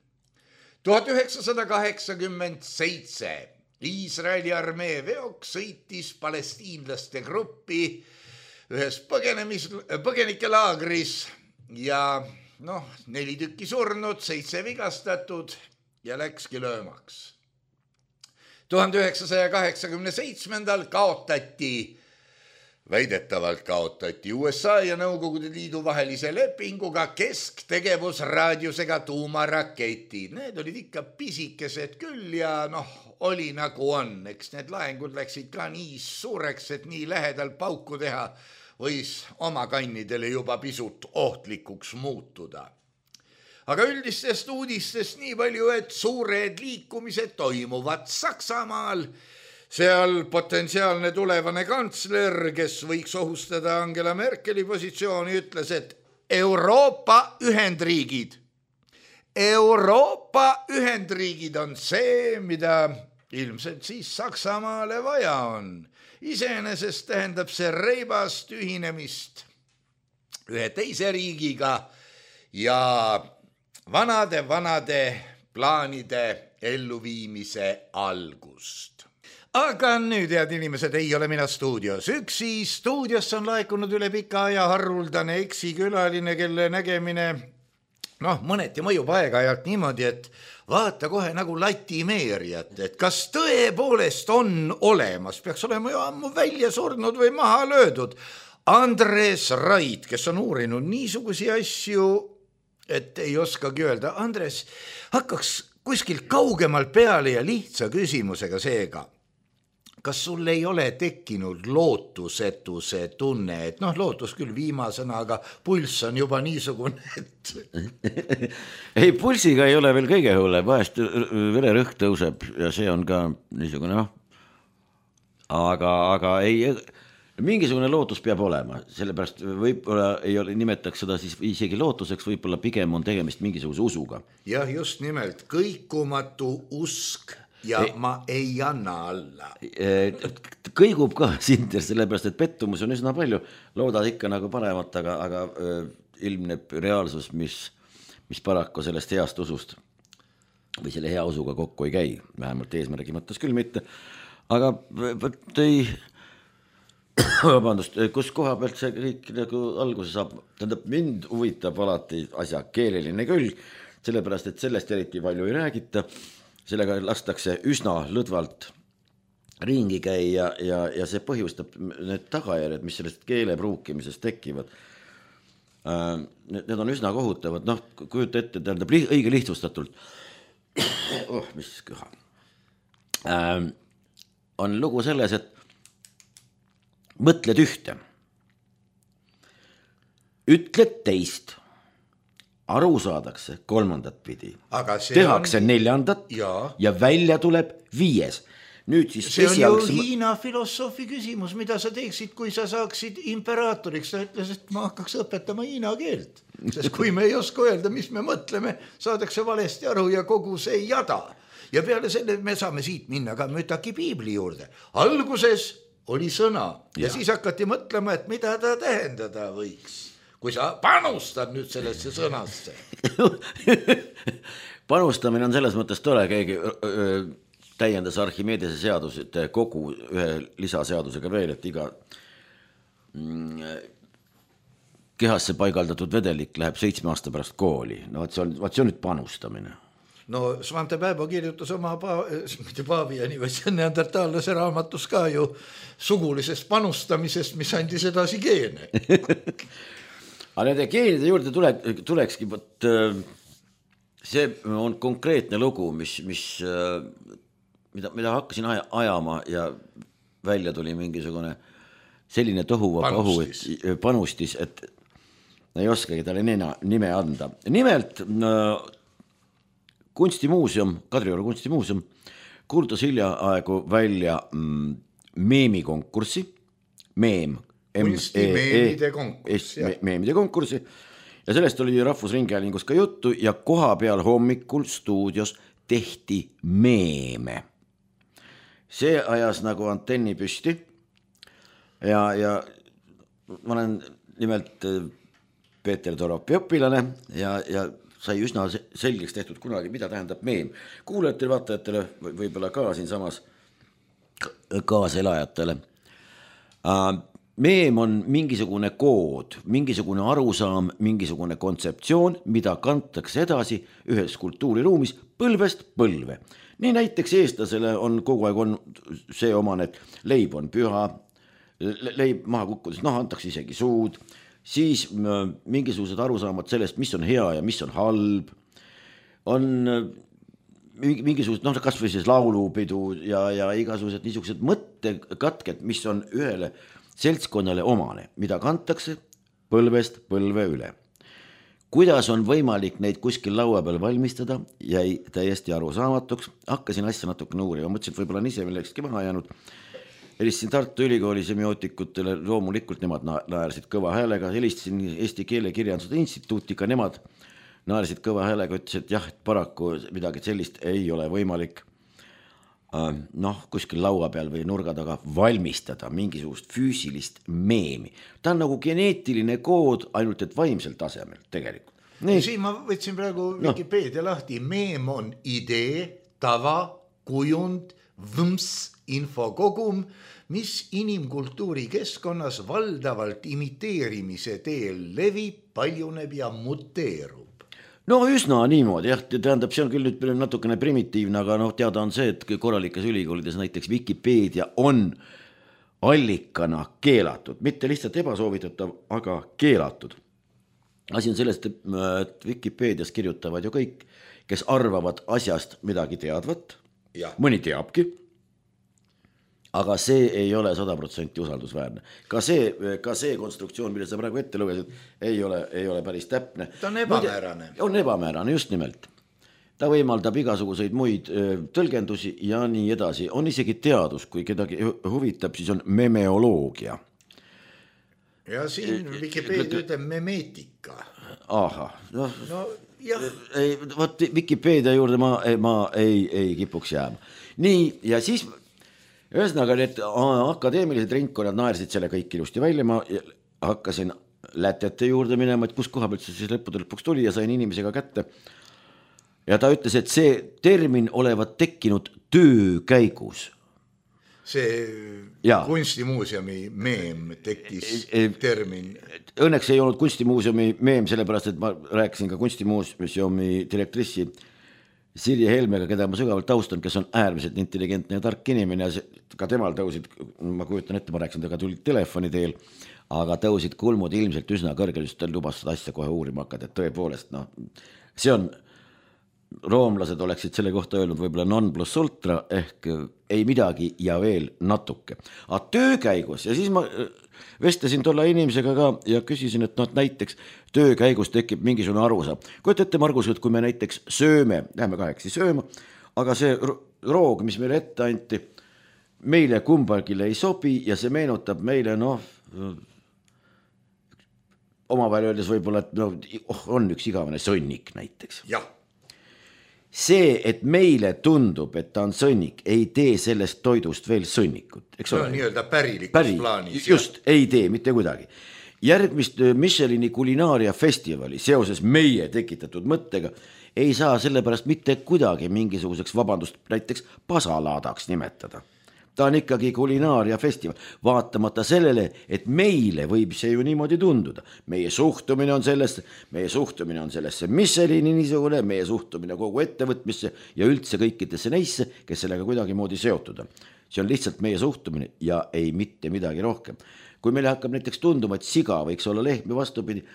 tuhat üheksasada kaheksakümmend seitse Iisraeli armee veok sõitis palestiinlaste gruppi ühes põgenemis, põgenikelaagris ja noh, neli tükki surnud, seitse vigastatud ja läkski löömaks. tuhande üheksasaja kaheksakümne seitsmendal kaotati, väidetavalt kaotati U S A ja Nõukogude Liidu vahelise lepinguga kesktegevusraadiusega tuumaraketid. Need olid ikka pisikesed küll ja noh, oli nagu on. Eks need laengud läksid ka nii suureks, et nii lähedal pauku teha võis oma kannidele juba pisut ohtlikuks muutuda. Aga üldistest uudistest nii palju, et suured liikumised toimuvad Saksamaal. Seal potentsiaalne tulevane kantsler, kes võiks ohustada Angela Merkeli positsiooni, ütles, et Euroopa Ühendriigid. Euroopa Ühendriigid on see, mida ilmselt siis Saksamaale vaja on. Iseenesest tähendab see reibast ühinemist ühe teise riigiga ja vanade-vanade plaanide elluviimise algust. Aga nüüd, head inimesed, ei ole mina stuudios üksi. Stuudiosse on laekunud üle pika aja haruldane eksikülaline, kelle nägemine noh, mõneti mõjub aeg-ajalt niimoodi, et vaata kohe nagu latimeerijat, et kas tõepoolest on olemas, peaks olema ju ammu välja surnud või maha löödud. Andres Raid, kes on uurinud niisugusi asju, et ei oskagi öelda. Andres, hakkaks kuskilt kaugemalt peale ja lihtsa küsimusega seega. Kas sul ei ole tekkinud lootusetuse tunne, et noh, lootus küll viimasena, aga pulss on juba niisugune, et... ei, pulsiga ei ole veel kõige hulle, vahest vererõhk tõuseb ja see on ka niisugune, noh, aga, aga ei, mingisugune lootus peab olema, sellepärast võib-olla ei ole, nimetaks seda siis isegi lootuseks, võib-olla pigem on tegemist mingisuguse usuga. Jah, just nimelt, kõikumatu usk. Ja ei, ma ei anna alla. Kõigub ka sinter, sellepärast, et pettumus on üsna palju. Loodad ikka nagu paremat, aga, aga ilmneb reaalsus, mis, mis paraku sellest heast usust või selle hea usuga kokku ei käi. Vähemalt eesmärgi mõttes küll mitte. Aga ei, vabandust, kus koha pealt see kõik nagu alguse saab? Tähendab, mind huvitab alati asja keeleline külg, sellepärast, et sellest eriti palju ei räägita. Sellega lastakse üsna lõdvalt ringi käia ja, ja see põhjustab need tagajärjed, mis sellest keele pruukimisest tekivad. Need on üsna kohutavad, noh, kujuta ette, tähendab õige lihtsustatult. Oh, mis kõha. On lugu selles, et mõtled ühte, ütled teist, aru saadakse kolmandat pidi, tehakse on... neljandat ja. ja välja tuleb viies. Nüüd siis see esialgs... on ju Hiina filosoofi küsimus, mida sa teeksid, kui sa saaksid imperaatoriks. Ta ütles, et ma hakkaks õpetama hiina keelt, sest kui me ei oska öelda, mis me mõtleme, saadakse valesti aru ja kogu see jada. Ja peale selle me saame siit minna ka Mütaki piibli juurde. Alguses oli sõna ja, ja siis hakati mõtlema, et mida ta tähendada võiks. Kui sa panustad nüüd sellesse sõnasse. Panustamine on selles mõttes tore, keegi öö, täiendas Archimedese seadused kogu ühe lisaseadusega veel, et iga mm, kehasse paigaldatud vedelik läheb seitsme aasta pärast kooli. No see on, see on nüüd panustamine. No Svante Pääbo kirjutas oma pa, mitte Paaviani, vaid see neandertaallase raamatus ka ju sugulisest panustamisest, mis andis edasi geene. Aga nende geenide juurde tule, tulekski, võt, see on konkreetne lugu, mis, mis, mida, mida hakkasin ajama ja välja tuli mingisugune selline tohuva panustis. Pahu, et, panustis, et ei oskagi talle nime anda. Nimelt kunstimuuseum, Kadrioru kunstimuuseum kuulutas hiljaaegu välja meemikonkurssi, meem, kunstimeemide konkurss, me, meemide konkurssi ja sellest oli Rahvusringhäälingus ka juttu ja koha peal hommikul stuudios tehti meeme. See ajas nagu antenni püsti ja, ja ma olen nimelt Peeter Toropi õpilane ja, ja sai üsna selgeks tehtud kunagi, mida tähendab meem. Kuulajatele, vaatajatele, võib-olla ka siin samas kaaselajatele. Meem on mingisugune kood, mingisugune arusaam, mingisugune kontseptsioon, mida kantakse edasi ühes kultuuriruumis põlvest põlve. Nii näiteks eestlasele on kogu aeg on see omane, et leib on püha, leib maha kukkudes, noh, antakse isegi suud, siis mingisugused arusaamad sellest, mis on hea ja mis on halb, on mingisugused, noh, kas või siis laulupidu ja, ja igasugused niisugused mõttekatked, mis on ühele seltskonnale omane, mida kantakse põlvest põlve üle. Kuidas on võimalik neid kuskil laua peal valmistada, jäi täiesti arusaamatuks. Hakkasin asja natuke uurima, mõtlesin, et võib-olla on ise millekski maha jäänud. Helistasin Tartu Ülikooli semiootikutele, loomulikult nemad naersid kõva häälega. Helistasin Eesti Keelekirjanduse Instituuti, ka nemad naersid kõva häälega, ütles, et jah, et paraku midagi sellist ei ole võimalik noh, kuskil laua peal või nurga taga valmistada mingisugust füüsilist meemi. Ta on nagu geneetiline kood, ainult et vaimsel tasemel tegelikult. Nii. Siin ma võtsin praegu Wikipedia no. lahti. Meem on idee, tava, kujund, võms, infokogum, mis inimkultuuri keskkonnas valdavalt imiteerimise teel levib, paljuneb ja muteerub. No üsna niimoodi, jah, tähendab, see on küll nüüd natukene primitiivne, aga noh, teada on see, et korralikes ülikoolides näiteks Wikipedia on allikana keelatud, mitte lihtsalt ebasoovitatav, aga keelatud. asi on sellest, et Vikipeedias kirjutavad ju kõik, kes arvavad asjast midagi teadvat, Ja. mõni teabki, aga see ei ole sada protsenti usaldusväärne. Ka see, ka see konstruktsioon, mille sa praegu ette lugesid, ei ole, ei ole päris täpne. Ta on ebamäärane. On ebamäärane, just nimelt. Ta võimaldab igasuguseid muid tõlgendusi ja nii edasi. On isegi teadus, kui kedagi huvitab, siis on memeoloogia. Ja siin Wikipedia ütleb memeetika. Aha, noh, No jah, ei, võt, Wikipedia juurde ma, ma ei, ei kipuks jääma. Nii, ja siis ühesõnaga need akadeemilised ringkonnad naersid selle kõik ilusti välja, ma hakkasin lätete juurde minema, et kus koha pealt see siis lõppude lõpuks tuli ja sain inimesega kätte. Ja ta ütles, et see termin olevat tekkinud töö käigus. see Ja. kunstimuuseumi meem tekkis Ei- termin. Õnneks ei olnud kunstimuuseumi meem, sellepärast, et ma rääkisin ka kunstimuuseumi direktrissi Sirje Helmega, keda ma sügavalt austan, kes on äärmiselt intelligentne ja tark inimene ja see, ka temal tõusid, ma kujutan ette, ma rääkisin, tega tulid telefoni teel, aga tõusid kulmud ilmselt üsna kõrgel, just ta lubas seda asja kohe uurima hakata, et tõepoolest, noh, see on, roomlased oleksid selle kohta öelnud võib-olla non plus ultra ehk ei midagi ja veel natuke. Aga töö käigus ja siis ma vestlesin tolla inimesega ka ja küsisin, et noh, näiteks töö käigus tekib mingisugune arusaam. Kujuta ette, Margus, et kui me näiteks sööme, läheme kahekesi sööma, aga see roog, mis meile ette anti, meile kumbagile ei sobi ja see meenutab meile, noh, omavahel öeldes võib-olla, et no, oh, on üks igavene sõnnik näiteks. Jah. See, et meile tundub, et ta on sõnnik, ei tee sellest toidust veel sõnnikut, eks No ole? nii-öelda pärilikus Päri, plaanis. just, ei tee mitte kuidagi. Järgmist Michelini kulinaaria festivali seoses meie tekitatud mõttega ei saa sellepärast mitte kuidagi mingisuguseks, vabandust, näiteks pasalaadaks nimetada. Ta on ikkagi kulinaaria festival, vaatamata sellele, et meile võib see ju niimoodi tunduda. Meie suhtumine on sellesse, meie suhtumine on sellesse Michelini niisugune, meie suhtumine kogu ettevõtmisse ja üldse kõikidesse neisse, kes sellega kuidagi moodi seotud on. See on lihtsalt meie suhtumine ja ei mitte midagi rohkem. Kui meile hakkab näiteks tunduma, et siga võiks olla lehm ja vastupidi,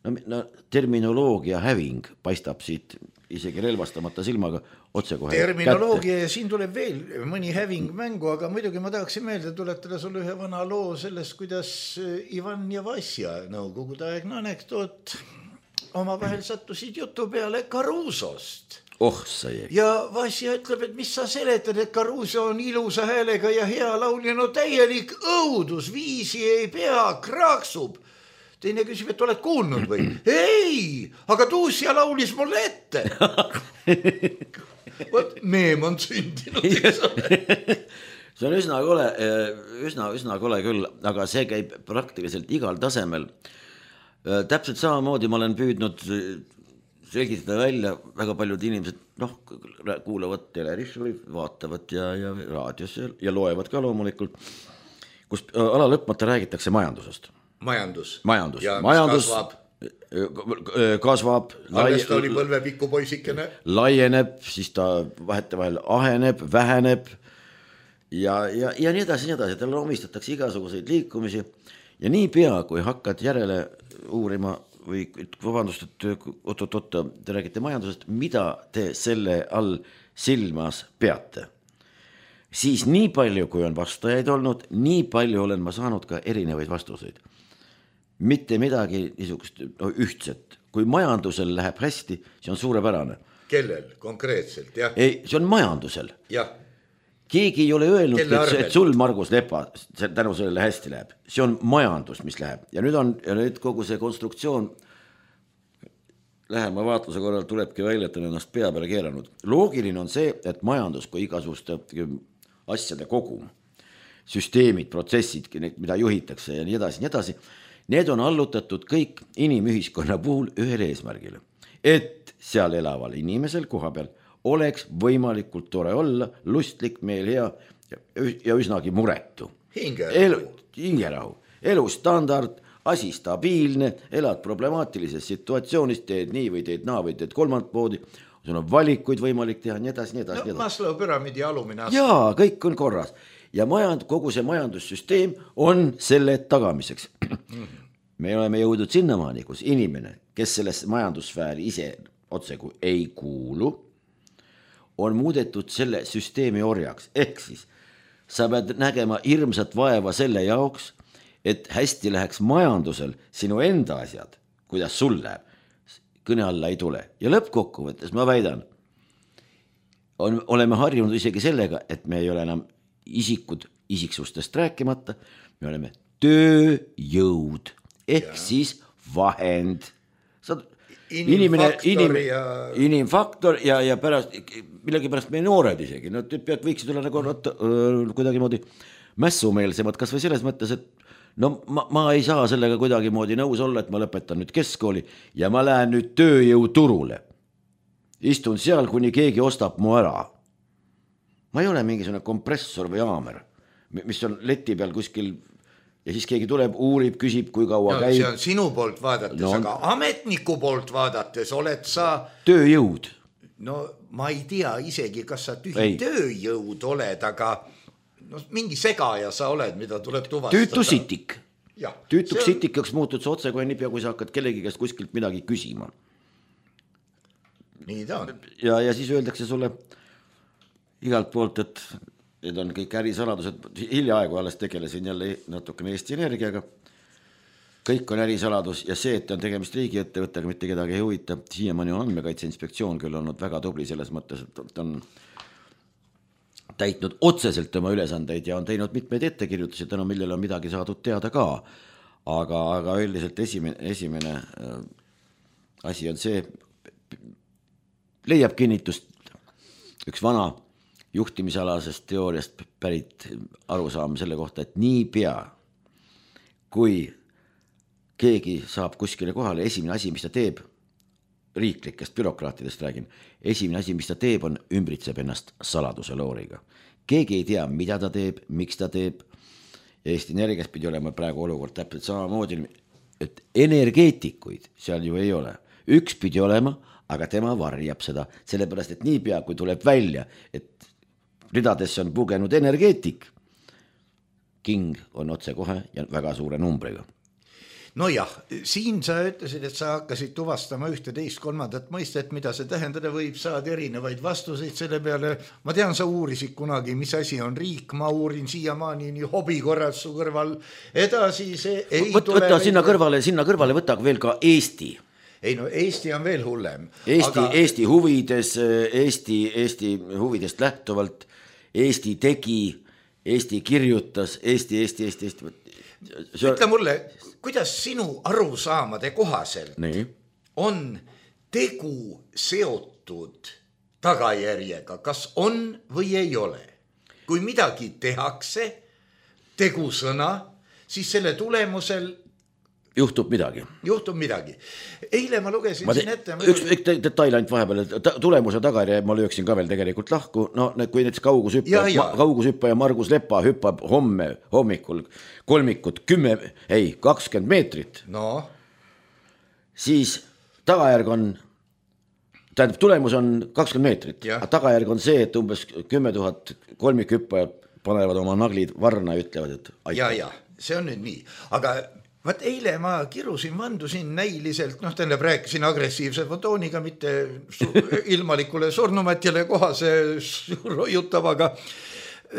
no, no terminoloogia häving paistab siit isegi relvastamata silmaga otsekohe Terminoloogia ja siin tuleb veel mõni häving mängu, aga muidugi ma tahaksin meelde tuletada sulle ühe vana loo sellest, kuidas Ivan ja Vasja, nõukogude aegne anekdoot, omavahel sattusid jutu peale Carusost. Oh, sai. Ja Vasja ütleb, et mis sa seletad, et Caruso on ilusa häälega ja hea laulja, no täielik õudus, viisi ei pea, kraaksub. Teine küsib, et oled kuulnud või? Ei, aga Tuusja laulis mulle ette. Võt, meem on sündinud. See on üsna kole, üsna, üsna kole küll, aga see käib praktiliselt igal tasemel. Täpselt samamoodi ma olen püüdnud selgitada välja, väga paljud inimesed noh, kuulavad teleris või vaatavad ja, ja raadios ja, ja loevad ka loomulikult, kus ala lõpmata räägitakse majandusest. Majandus. Majandus. Ja majandus kasvab. kasvab. Alles ta oli põlvepikku poisikene. Laieneb, siis ta vahetevahel aheneb, väheneb ja, ja, ja nii edasi, nii edasi. Talle omistatakse igasuguseid liikumisi ja nii pea, kui hakkad järele uurima või vabandust, et oot-oot-oot, te räägite majandusest, mida te selle all silmas peate? Siis nii palju, kui on vastajaid olnud, nii palju olen ma saanud ka erinevaid vastuseid. Mitte midagi niisugust no, ühtset. Kui majandusel läheb hästi, see on suurepärane. Kellel konkreetselt, jah? Ei, see on majandusel. Jah. Keegi ei ole öelnud, et, et sul, Margus Lepa, tänu sellele hästi läheb. See on majandus, mis läheb. Ja nüüd on ja nüüd kogu see konstruktsioon lähema vaatluse korral tulebki välja, et on ennast pea peale keeranud. Loogiline on see, et majandus kui igasuguste asjade kogum, süsteemid, protsessid, mida juhitakse ja nii edasi, nii edasi, need on allutatud kõik inimühiskonna puhul ühele eesmärgile. Et seal elaval inimesel koha peal oleks võimalikult tore olla, lustlik, meel hea ja üsnagi muretu. Hingerahu. Hingerahu. Elustandard, asi stabiilne, elad problemaatilises situatsioonis, teed nii või teed naa või teed kolmand poodi, sul on valikuid võimalik teha, nii edasi, nii edasi. No, Maslow püramiidi alumine aste. Jaa, kõik on korras. Ja majand, kogu see majandussüsteem on selle tagamiseks. me oleme jõudnud sinnamaani, kus inimene, kes selles majandussfääri ise otseku ei kuulu, on muudetud selle süsteemi orjaks. Ehk siis sa pead nägema hirmsat vaeva selle jaoks, et hästi läheks majandusel sinu enda asjad, kuidas sul läheb, kõne alla ei tule. Ja lõppkokkuvõttes ma väidan, on, oleme harjunud isegi sellega, et me ei ole enam isikud isiksustest rääkimata, me oleme tööjõud, ehk ja. Siis vahend. Saad, inimene, inim, ja... inimfaktor ja, ja pärast, millegi pärast meie noored isegi, no pead võiksid olla nagu kuidagi moodi mässumeelsemad, kas või selles mõttes, et no ma, ma ei saa sellega kuidagi moodi nõus olla, et ma lõpetan nüüd keskkooli ja ma lähen nüüd tööjõuturule. Istun seal, kuni keegi ostab mu ära. Ma ei ole mingisugune kompressor või haamer, mis on leti peal kuskil ja siis keegi tuleb, uurib, küsib, kui kaua no, käib. See on sinu poolt vaadates, no, aga ametniku poolt vaadates oled sa... Tööjõud. No ma ei tea isegi, kas sa tühi ei. Tööjõud oled, aga no, mingi segaja sa oled, mida tuleb tuvastada. Tüütusitik. Ja, Tüütuks on... sitikaks muutud sa otse kohe niipea, kui sa hakkad kellegi käest kuskilt midagi küsima. Nii ta on. Ja, ja siis öeldakse sulle igalt poolt, et need on kõik ärisaladused, hiljaaegu alles tegelesin jälle natukene Eesti Energiaga, kõik on ärisaladus ja see, et on tegemist riigiettevõttega, mitte kedagi ei huvita, siiamaani on Andmekaitse Inspektsioon küll olnud väga tubli selles mõttes, et on täitnud otseselt oma ülesandeid ja on teinud mitmeid ettekirjutusi, tänu millele on midagi saadud teada ka, aga, aga üldiselt esimene, esimene asi on see, leiab kinnitust üks vana juhtimisalasest teooriast pärit arusaam selle kohta, et nii pea, kui keegi saab kuskile kohale, esimene asi, mis ta teeb, riiklikest bürokraatidest räägin, esimene asi, mis ta teeb, on ümbritseb ennast saladuse looriga. Keegi ei tea, mida ta teeb, miks ta teeb. Eesti Energias pidi olema praegu olukord täpselt samamoodi, et energeetikuid seal ju ei ole. Üks pidi olema, aga tema varjab seda, sellepärast, et nii pea, kui tuleb välja, et ridadesse on pugenud energeetik, king on otse kohe ja väga suure numbriga. No jah, siin sa ütlesid, et sa hakkasid tuvastama ühte teist kolmandat mõistet, mida see tähendada võib, saad erinevaid vastuseid selle peale. Ma tean, sa uurisid kunagi, mis asi on riik, ma uurin siiamaani nii hobi korras su kõrval edasi. See ei Võt, tule võtta sinna kõrvale, sinna kõrvale võtta veel ka Eesti. Ei no Eesti on veel hullem. Eesti, aga... Eesti huvides, Eesti, Eesti huvidest lähtuvalt, Eesti tegi, Eesti kirjutas, Eesti, Eesti, Eesti, Eesti. See... Ütle mulle, kuidas sinu arusaamade kohaselt Nii. On tegu seotud tagajärjega, kas on või ei ole? Kui midagi tehakse, tegusõna, siis selle tulemusel juhtub midagi. Juhtub midagi. Eile ma lugesin ma te, siin ette. Üks, üks detail ainult vahepeal, ta, tulemuse tagari ma lööksin ka veel tegelikult lahku. No kui näiteks kaugusüppaja, kaugusüppaja Margus Lepa hüppab homme hommikul kolmikut kümme, ei, kakskümmend meetrit. No. Siis tagajärg on, tähendab, tulemus on kakskümmend meetrit. Aga tagajärg on see, et umbes kümme tuhat kolmikhüppajad panevad oma naglid varna ja ütlevad, et aitäh. Ja, ja, see on nüüd nii. Aga vaat eile ma kirusin, vandusin näiliselt, noh, tähendab rääkisin agressiivse fotooniga, mitte ilmalikule surnumatjale kohase rojutavaga.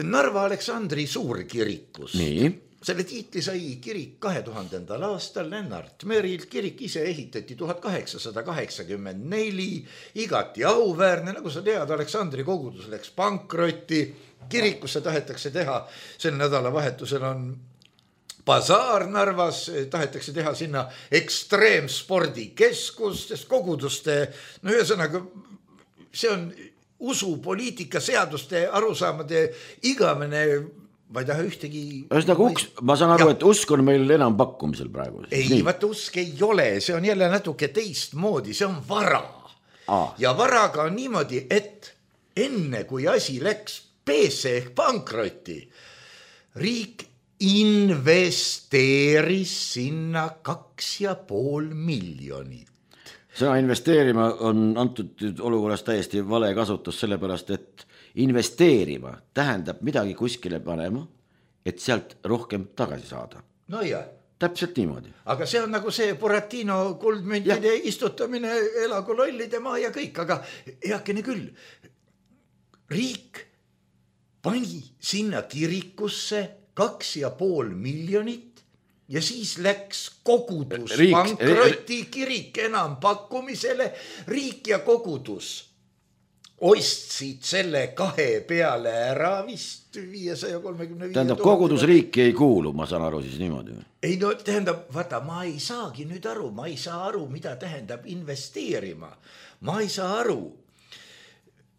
Narva Aleksandri suurkirikus. Nii. Selle tiitli sai kirik kahe tuhandendal aastal Lennart Merilt. Kirik ise ehitati tuhat kaheksasada kaheksakümmend neli, igati auväärne, nagu sa tead, Aleksandri kogudus läks pankrotti. Kirikusse tahetakse teha, sel nädalavahetusel on basaar Narvas, tahetakse teha sinna ekstreemspordikeskus, sest koguduste, no ühesõnaga, see on usu, poliitika, seaduste, arusaamade igamene, ma ei taha ühtegi... Ühesõnaga, uks, ma saan aru, ja. Et usk on meil enam pakkumisel praegu. Ei, nii. Vaata, usk ei ole, see on jälle natuke teist moodi, see on vara. Aa. Ja varaga on niimoodi, et enne kui asi läks peesse ehk pankrotti, riik investeeris sinna kaks ja pool miljonit. Sõna investeerima on antud olukorras täiesti vale kasutus, sellepärast, et investeerima tähendab midagi kuskile panema, et sealt rohkem tagasi saada. No jah. täpselt niimoodi. Aga see on nagu see Buratino kuldmüntide ja. Istutamine, elagu lollide maa ja kõik, aga heakene küll. Riik pani sinna kirikusse kaks ja pool miljonit ja siis läks kogudus riik, pankroti kirik enam pakkumisele, riik ja kogudus ostsid selle kahe peale ära vist viiesaja kolmekümne viie. Tähendab, kogudusriiki ei kuulu, ma saan aru siis niimoodi. Ei no tähendab, vaata, ma ei saagi nüüd aru, ma ei saa aru, mida tähendab investeerima. Ma ei saa aru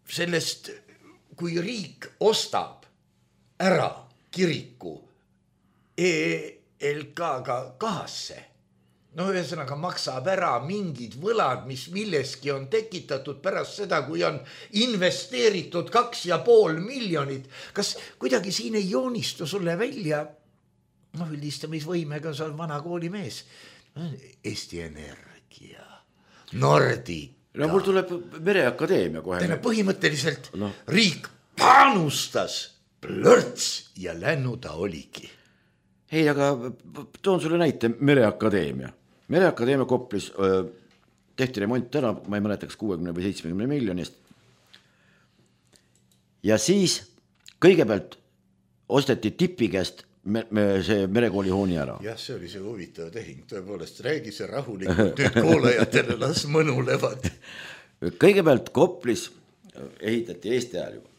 sellest, kui riik ostab ära kiriku E L K-ga kahasse. No ühesõnaga maksab ära mingid võlad, mis milleski on tekitatud pärast seda, kui on investeeritud kaks ja pool miljonit. Kas kuidagi siin ei joonistu sulle välja, no üldistamisvõimega, sa on vana koolimees, Eesti Energia, Nordica. No mul tuleb Mereakadeemia kohe. Täna põhimõtteliselt no. Riik panustas plörts ja lännu ta oligi. Ei, aga toon sulle näite Mereakadeemia. Mereakadeemia Koplis öö, tehti remont ära, ma ei mäletaks kuuekümne või seitsmekümne miljonist. Ja siis kõigepealt osteti tipi käest me, me, see merekooli hooni ära. Jah, see oli see huvitav tehing, tõepoolest räägi see rahulikult nüüd kuulajatele, las mõnulevad. Kõigepealt Koplis ehitati Eesti ajal juba.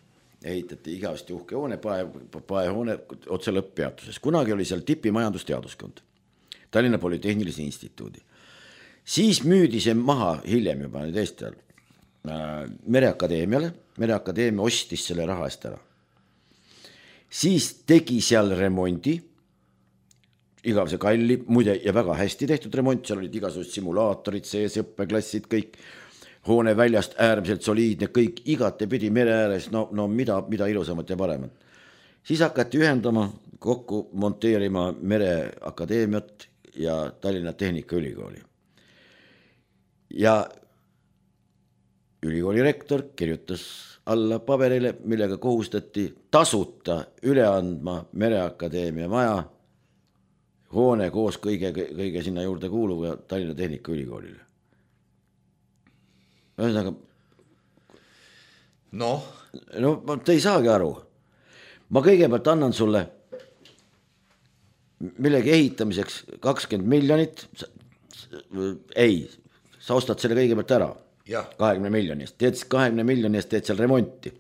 Ehitati igavesti uhke hoone, pae, paehoone otse lõpppeatuses. Kunagi oli seal tipi majandusteaduskond, Tallinna Polütehnilise Instituudi. Siis müüdi see maha hiljem juba nüüd Eesti ajal äh, Mereakadeemiale. Mereakadeemia ostis selle raha eest ära. Siis tegi seal remondi, igavese kalli, muide ja väga hästi tehtud remont, seal olid igasugused simulaatorid, sees õppeklassid, kõik hoone väljast äärmiselt soliidne, kõik igate pidi mere ääres, no, no mida, mida ilusamat ja paremat. Siis hakati ühendama, kokku monteerima Mereakadeemiat ja Tallinna Tehnikaülikooli. Ja ülikooli rektor kirjutas alla paberile, millega kohustati tasuta üle andma Mereakadeemia maja, hoone koos kõige, kõige sinna juurde kuuluva Tallinna Tehnikaülikoolile. Ühesõnaga, no. no te ei saagi aru. Ma kõigepealt annan sulle millegi ehitamiseks kakskümmend miljonit. Ei, sa ostad selle kõigepealt ära. Ja. kahekümne miljonist. Teed kahekümne miljonist, teed seal remonti.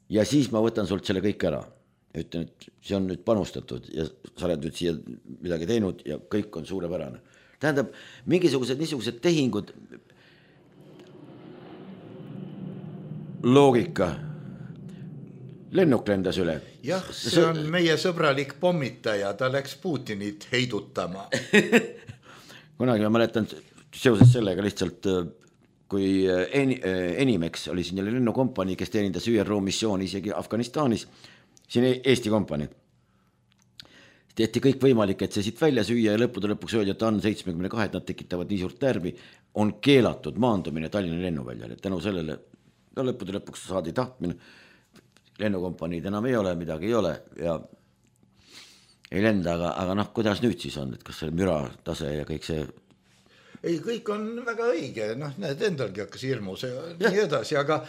Ja siis ma võtan sult selle kõik ära. Ütlen, et see on nüüd panustatud ja sa oled nüüd siia midagi teinud ja kõik on suurepärane. Tähendab, mingisugused niisugused tehingud loogika. Lennuk lendas üle. Jah, see on meie sõbralik pommitaja, ta läks Putinit heidutama. Kunagi ma mäletan seoses sellega lihtsalt, kui Enimex oli siin jälle lennukompanii, kes teenindas Ü R O missiooni isegi Afganistanis, siin Eesti kompanii. Tehti kõik võimalik, et see siit välja süüa ja lõppude lõpuks öeldi, et on seitsmekümne kahe, et nad tekitavad nii suurt närvi, on keelatud maandumine Tallinna lennuväljale. Tänu sellele no lõppude lõpuks saadi tahtmine, lennukompaniid enam ei ole, midagi ei ole ja ei lenda, aga, aga noh, kuidas nüüd siis on, et kas see müra tase ja kõik see? Ei, kõik on väga õige, noh, need endalgi hakkas hirmus ja nii edasi, aga,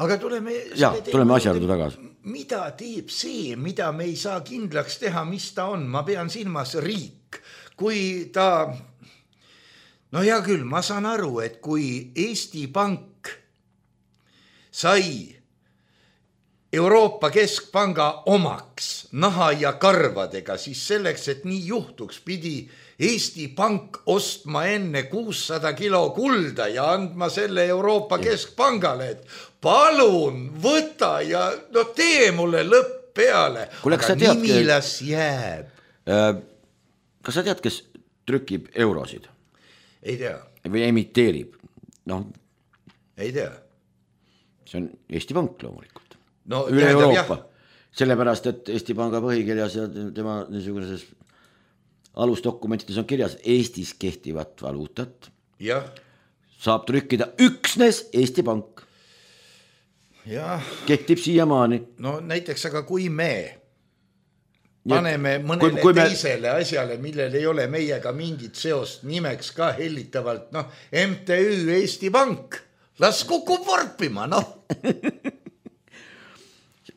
aga tuleme, ja, tuleme asjaludu tagasi. Mida teeb see, mida me ei saa kindlaks teha, mis ta on, ma pean silmas riik, kui ta, no hea küll, ma saan aru, et kui Eesti Pank sai Euroopa Keskpanga omaks naha ja karvadega, siis selleks, et nii juhtuks, pidi Eesti Pank ostma enne kuussada kilo kulda ja andma selle Euroopa ja. Keskpangale, et palun võta ja no tee mulle lõpp peale. Kule, aga tead, nimilas jääb. Kas sa tead, kes trükib eurosid? Ei tea. Või emiteerib? No. Ei tea. See on Eesti Pank loomulikult. No, üle Euroopa. Sellepärast, et Eesti Panga põhikirjas ja tema niisuguses alusdokumentides on kirjas Eestis kehtivat valuutat. Ja. Saab trükkida üksnes Eesti Pank. Ja. Kehtib siiamaani. No näiteks, aga kui me paneme mõnele kui, kui me... teisele asjale, millel ei ole meiega mingit seost, nimeks ka hellitavalt, noh, M T Ü Eesti Pank, las kukub vorpima, noh.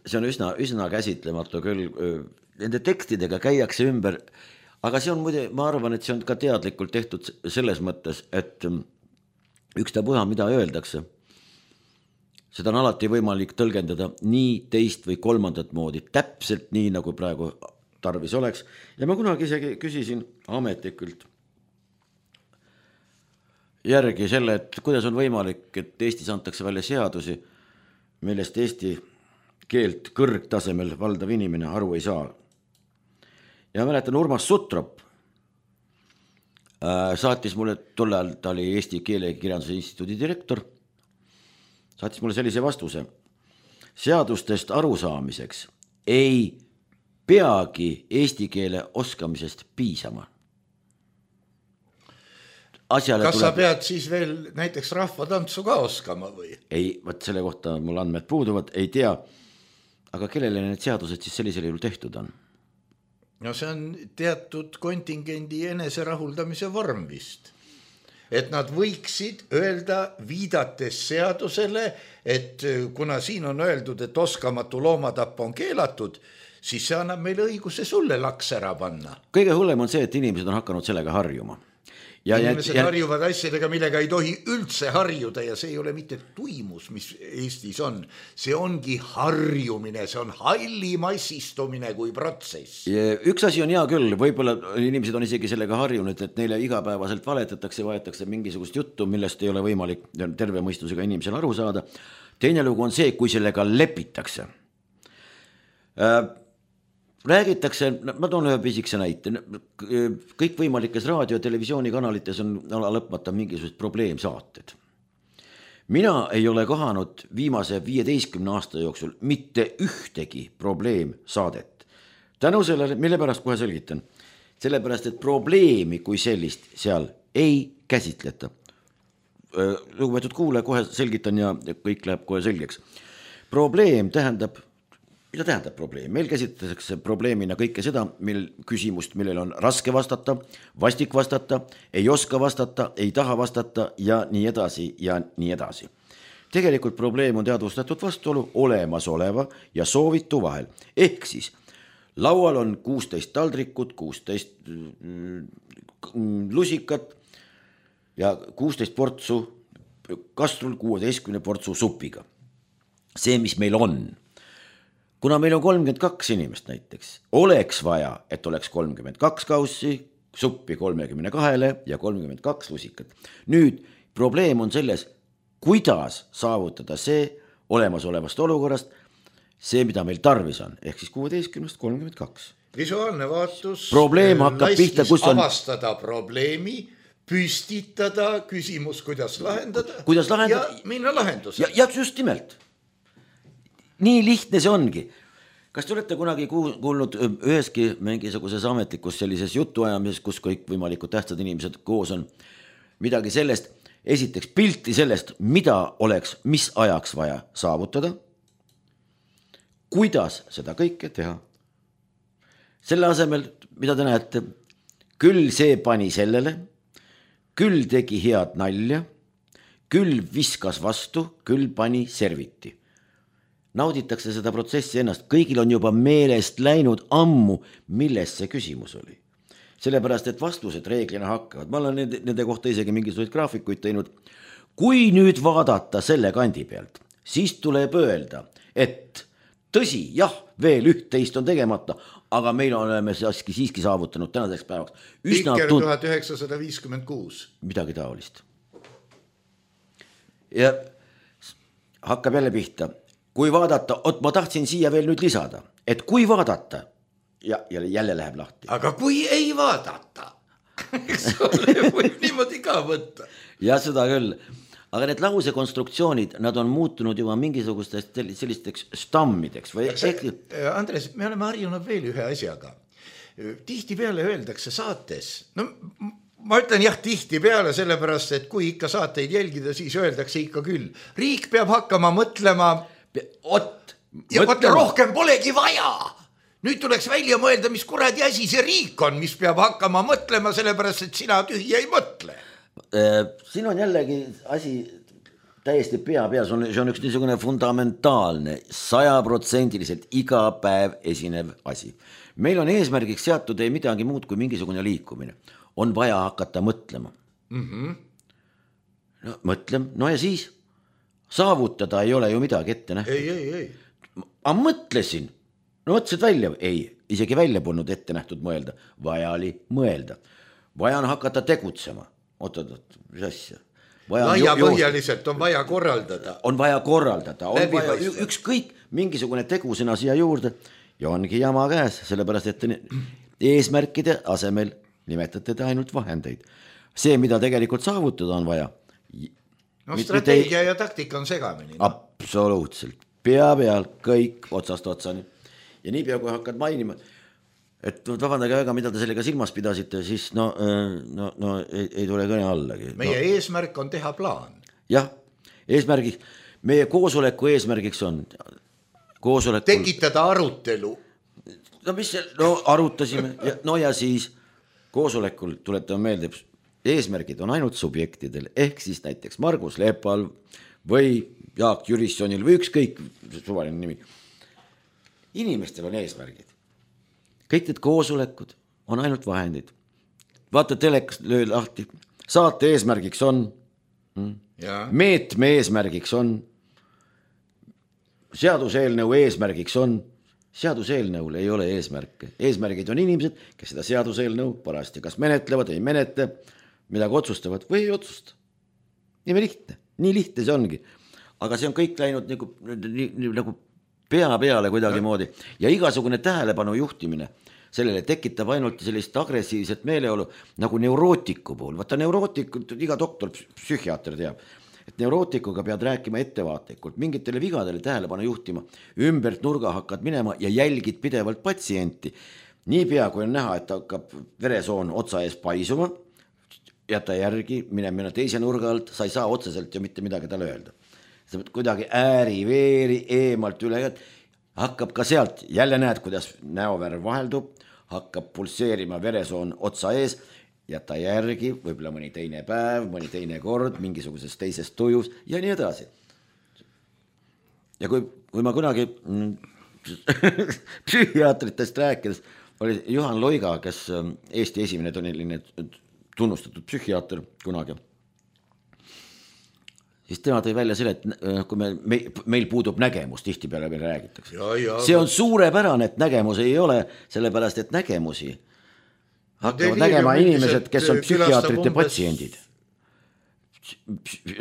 See on üsna, üsna käsitlematu küll, nende tekstidega käiakse ümber, aga see on muide, ma arvan, et see on ka teadlikult tehtud selles mõttes, et ükstapuha, mida öeldakse, seda on alati võimalik tõlgendada nii teist või kolmandat moodi, täpselt nii, nagu praegu tarvis oleks. Ja ma kunagi isegi küsisin ametlikult järgi selle, et kuidas on võimalik, et Eestis antakse välja seadusi, millest Eesti keelt kõrgtasemel valdav inimene aru ei saa. Ja mäletan, Urmas Sutrop saatis mulle, tol ajal ta oli Eesti Keelekirjanduse Instituudi direktor, saatis mulle sellise vastuse. Seadustest arusaamiseks ei peagi eesti keele oskamisest piisama. Asjale Kas tuleb... sa pead siis veel näiteks rahvatantsu ka oskama või? Ei, võt selle kohta mul andmed puuduvad, ei tea. Aga kellele need seadused siis sellisel juhul tehtud on? No see on teatud kontingendi eneserahuldamise vorm vist. Et nad võiksid öelda viidates seadusele, et kuna siin on öeldud, et oskamatu loomatapp on keelatud, siis see annab meile õiguse sulle laks ära panna. Kõige hullem on see, et inimesed on hakanud sellega harjuma. Ja, inimesed ja, harjuvad asjadega, millega ei tohi üldse harjuda ja see ei ole mitte tuimus, mis Eestis on. See ongi harjumine, see on halli massistumine kui protsess. Üks asi on hea küll, võib-olla inimesed on isegi sellega harjunud, et neile igapäevaselt valetatakse, vaetatakse mingisugust juttu, millest ei ole võimalik terve mõistusega inimesel aru saada. Teine lugu on see, kui sellega lepitakse. Räägitakse, ma toon ühe pisikese näite, kõik võimalikes raadio- ja televisioonikanalites on lõpmata mingisugused probleemsaated. Mina ei ole kohanud viimase viieteistkümne aasta jooksul mitte ühtegi probleemsaadet. Tänu sellele, mille pärast kohe selgitan, sellepärast, et probleemi kui sellist seal ei käsitleta. Lugupeetud kuule, kohe selgitan ja kõik läheb kohe selgeks. Probleem tähendab Mida tähendab probleem? Meil käsitletakse probleemina kõike seda, mil küsimust, millel on raske vastata, vastik vastata, ei oska vastata, ei taha vastata ja nii edasi ja nii edasi. Tegelikult probleem on teadvustatud vastuolu olemasoleva ja soovitu vahel. Ehk siis laual on kuusteist taldrikut, kuusteist lusikat ja kuusteist portsu kastrul kuueteistkümne portsu supiga. See, mis meil on. Kuna meil on kolmkümmend kaks inimest näiteks, oleks vaja, et oleks kolmkümmend kaks kaussi, suppi kolmekümne kahele ja kolmkümmend kaks lusikat. Nüüd probleem on selles, kuidas saavutada see olemasolevast olukorrast, see, mida meil tarvis on, ehk siis kuueteistkümnest kolmkümmend kaks. Visuaalne vaatus probleem hakkab pihta, kus on... avastada probleemi, püstitada küsimus, kuidas lahendada, kuidas lahendada ja minna lahenduse. Ja, ja just nimelt. Nii lihtne see ongi. Kas te olete kunagi kuulnud üheski mingisuguses ametlikus sellises jutuajamises, kus kõik võimalikud tähtsad inimesed koos on, midagi sellest, esiteks pilti sellest, mida oleks, mis ajaks vaja saavutada, kuidas seda kõike teha. Selle asemel, mida te näete, küll see pani sellele, küll tegi head nalja, küll viskas vastu, küll pani serviti. Nauditakse seda protsessi ennast. Kõigil on juba meelest läinud ammu, milles see küsimus oli. Sellepärast, et vastused reeglina hakkavad. Ma olen nende, nende kohta isegi mingisuguseid graafikuid teinud. Kui nüüd vaadata selle kandi pealt, siis tuleb öelda, et tõsi, jah, veel üht-teist on tegemata, aga meil oleme siiski, siiski saavutanud tänaseks päevaks. Pikker tuhat üheksasada viiskümmend kuus. Midagi taolist. Ja hakkab jälle pihta. Kui vaadata, ot ma tahtsin siia veel nüüd lisada, et kui vaadata, ja jälle läheb lahti. Aga kui ei vaadata, eks ole, võib niimoodi ka võtta. Ja seda küll. Aga need lause konstruktsioonid, nad on muutunud juba mingisugustest sellisteks stammideks. Või see, Andres, me oleme harjunud veel ühe asjaga. Tihti peale öeldakse saates, no ma ütlen jah tihti peale sellepärast, et kui ikka saateid jälgida, siis öeldakse ikka küll. Riik peab hakkama mõtlema... Ot, ja mõtlema. Rohkem polegi vaja. nüüd tuleks välja mõelda, mis kuradi asi see riik on, mis peab hakkama mõtlema, sellepärast, et sina tühja ei mõtle. Siin on jällegi asi täiesti pea peal, see on üks niisugune fundamentaalne, sajaprotsendiliselt iga päev esinev asi. Meil on eesmärgiks seatud ei midagi muud kui mingisugune liikumine. On vaja hakata mõtlema. Mm-hmm. No, mõtlem, no ja siis saavutada ei ole ju midagi ette nähtud. Ei, ei, ei. Ma mõtlesin. No mõtlesid välja, ei, isegi välja polnud ette nähtud mõelda, vaja oli mõelda. Vaja on hakata tegutsema. Oot, oot, mis asja? Laia põhjaliselt on vaja korraldada. On vaja korraldada, on vaja ükskõik mingisugune tegusena siia juurde ja ongi jama käes, sellepärast, et eesmärkide asemel nimetate te ainult vahendeid. See, mida tegelikult saavutada on vaja. No strateegia ja taktika on segamini. No? Absoluutselt. Pea peal kõik otsast otsani. Ja nii pea, kui hakkad mainima, et vabandage väga, mida te sellega silmas pidasite, siis no, no, no ei, ei tule kõne allagi. Meie no. eesmärk on teha plaan. Jah, eesmärgiks, meie koosoleku eesmärgiks on koosolekul... tekitada arutelu. No mis see, no arutasime, ja, no ja siis koosolekul tuletame meelde, eesmärgid on ainult subjektidel, ehk siis näiteks Margus Lepal või Jaak Jürissonil või ükskõik suvaline nimi. Inimestel on eesmärgid. Kõik need koosolekud on ainult vahendid. Vaata telekas löö lahti. Saate eesmärgiks on, meetme eesmärgiks on, seaduseelnõu eesmärgiks on, seaduseelnõul ei ole eesmärke. Eesmärgid on inimesed, kes seda seaduseelnõu parasti kas menetlevad, ei menetle, midagi otsustavad või ei otsusta. Nii lihtne, nii lihtne see ongi. Aga see on kõik läinud nagu, nagu pea peale kuidagi moodi ja igasugune tähelepanu juhtimine sellele tekitab ainult sellist agressiivset meeleolu nagu neurootiku puhul. Vaata neurootiku, iga doktor, psühhiaater teab, et neurootikuga pead rääkima ettevaatlikult, mingitele vigadele tähelepanu juhtima, ümbert nurga hakkad minema ja jälgid pidevalt patsienti. Nii pea, kui on näha, et hakkab veresoon otsa ees paisuma, jäta järgi, mine minna teise nurga alt, sa ei saa otseselt ju mitte midagi talle öelda. Sa pead kuidagi ääri, veeri, eemalt üle, hakkab ka sealt, jälle näed, kuidas näovärv vaheldub, hakkab pulseerima veresoon otsa ees, jäta järgi, võib-olla mõni teine päev, mõni teine kord, mingisuguses teises tujus ja nii edasi. Ja kui, kui ma kunagi psühhiaatritest rääkides, oli Juhan Loiga, kes Eesti esimene toniline tunnustatud psühhiaater kunagi, siis tema tõi välja selle, et kui me, me, meil puudub nägemus, tihti peale meil räägitakse. Ja, ja, see on suurepärane, et nägemus ei ole, sellepärast, et nägemusi hakkavad nägema inimesed, kes on psühhiaatrite patsiendid.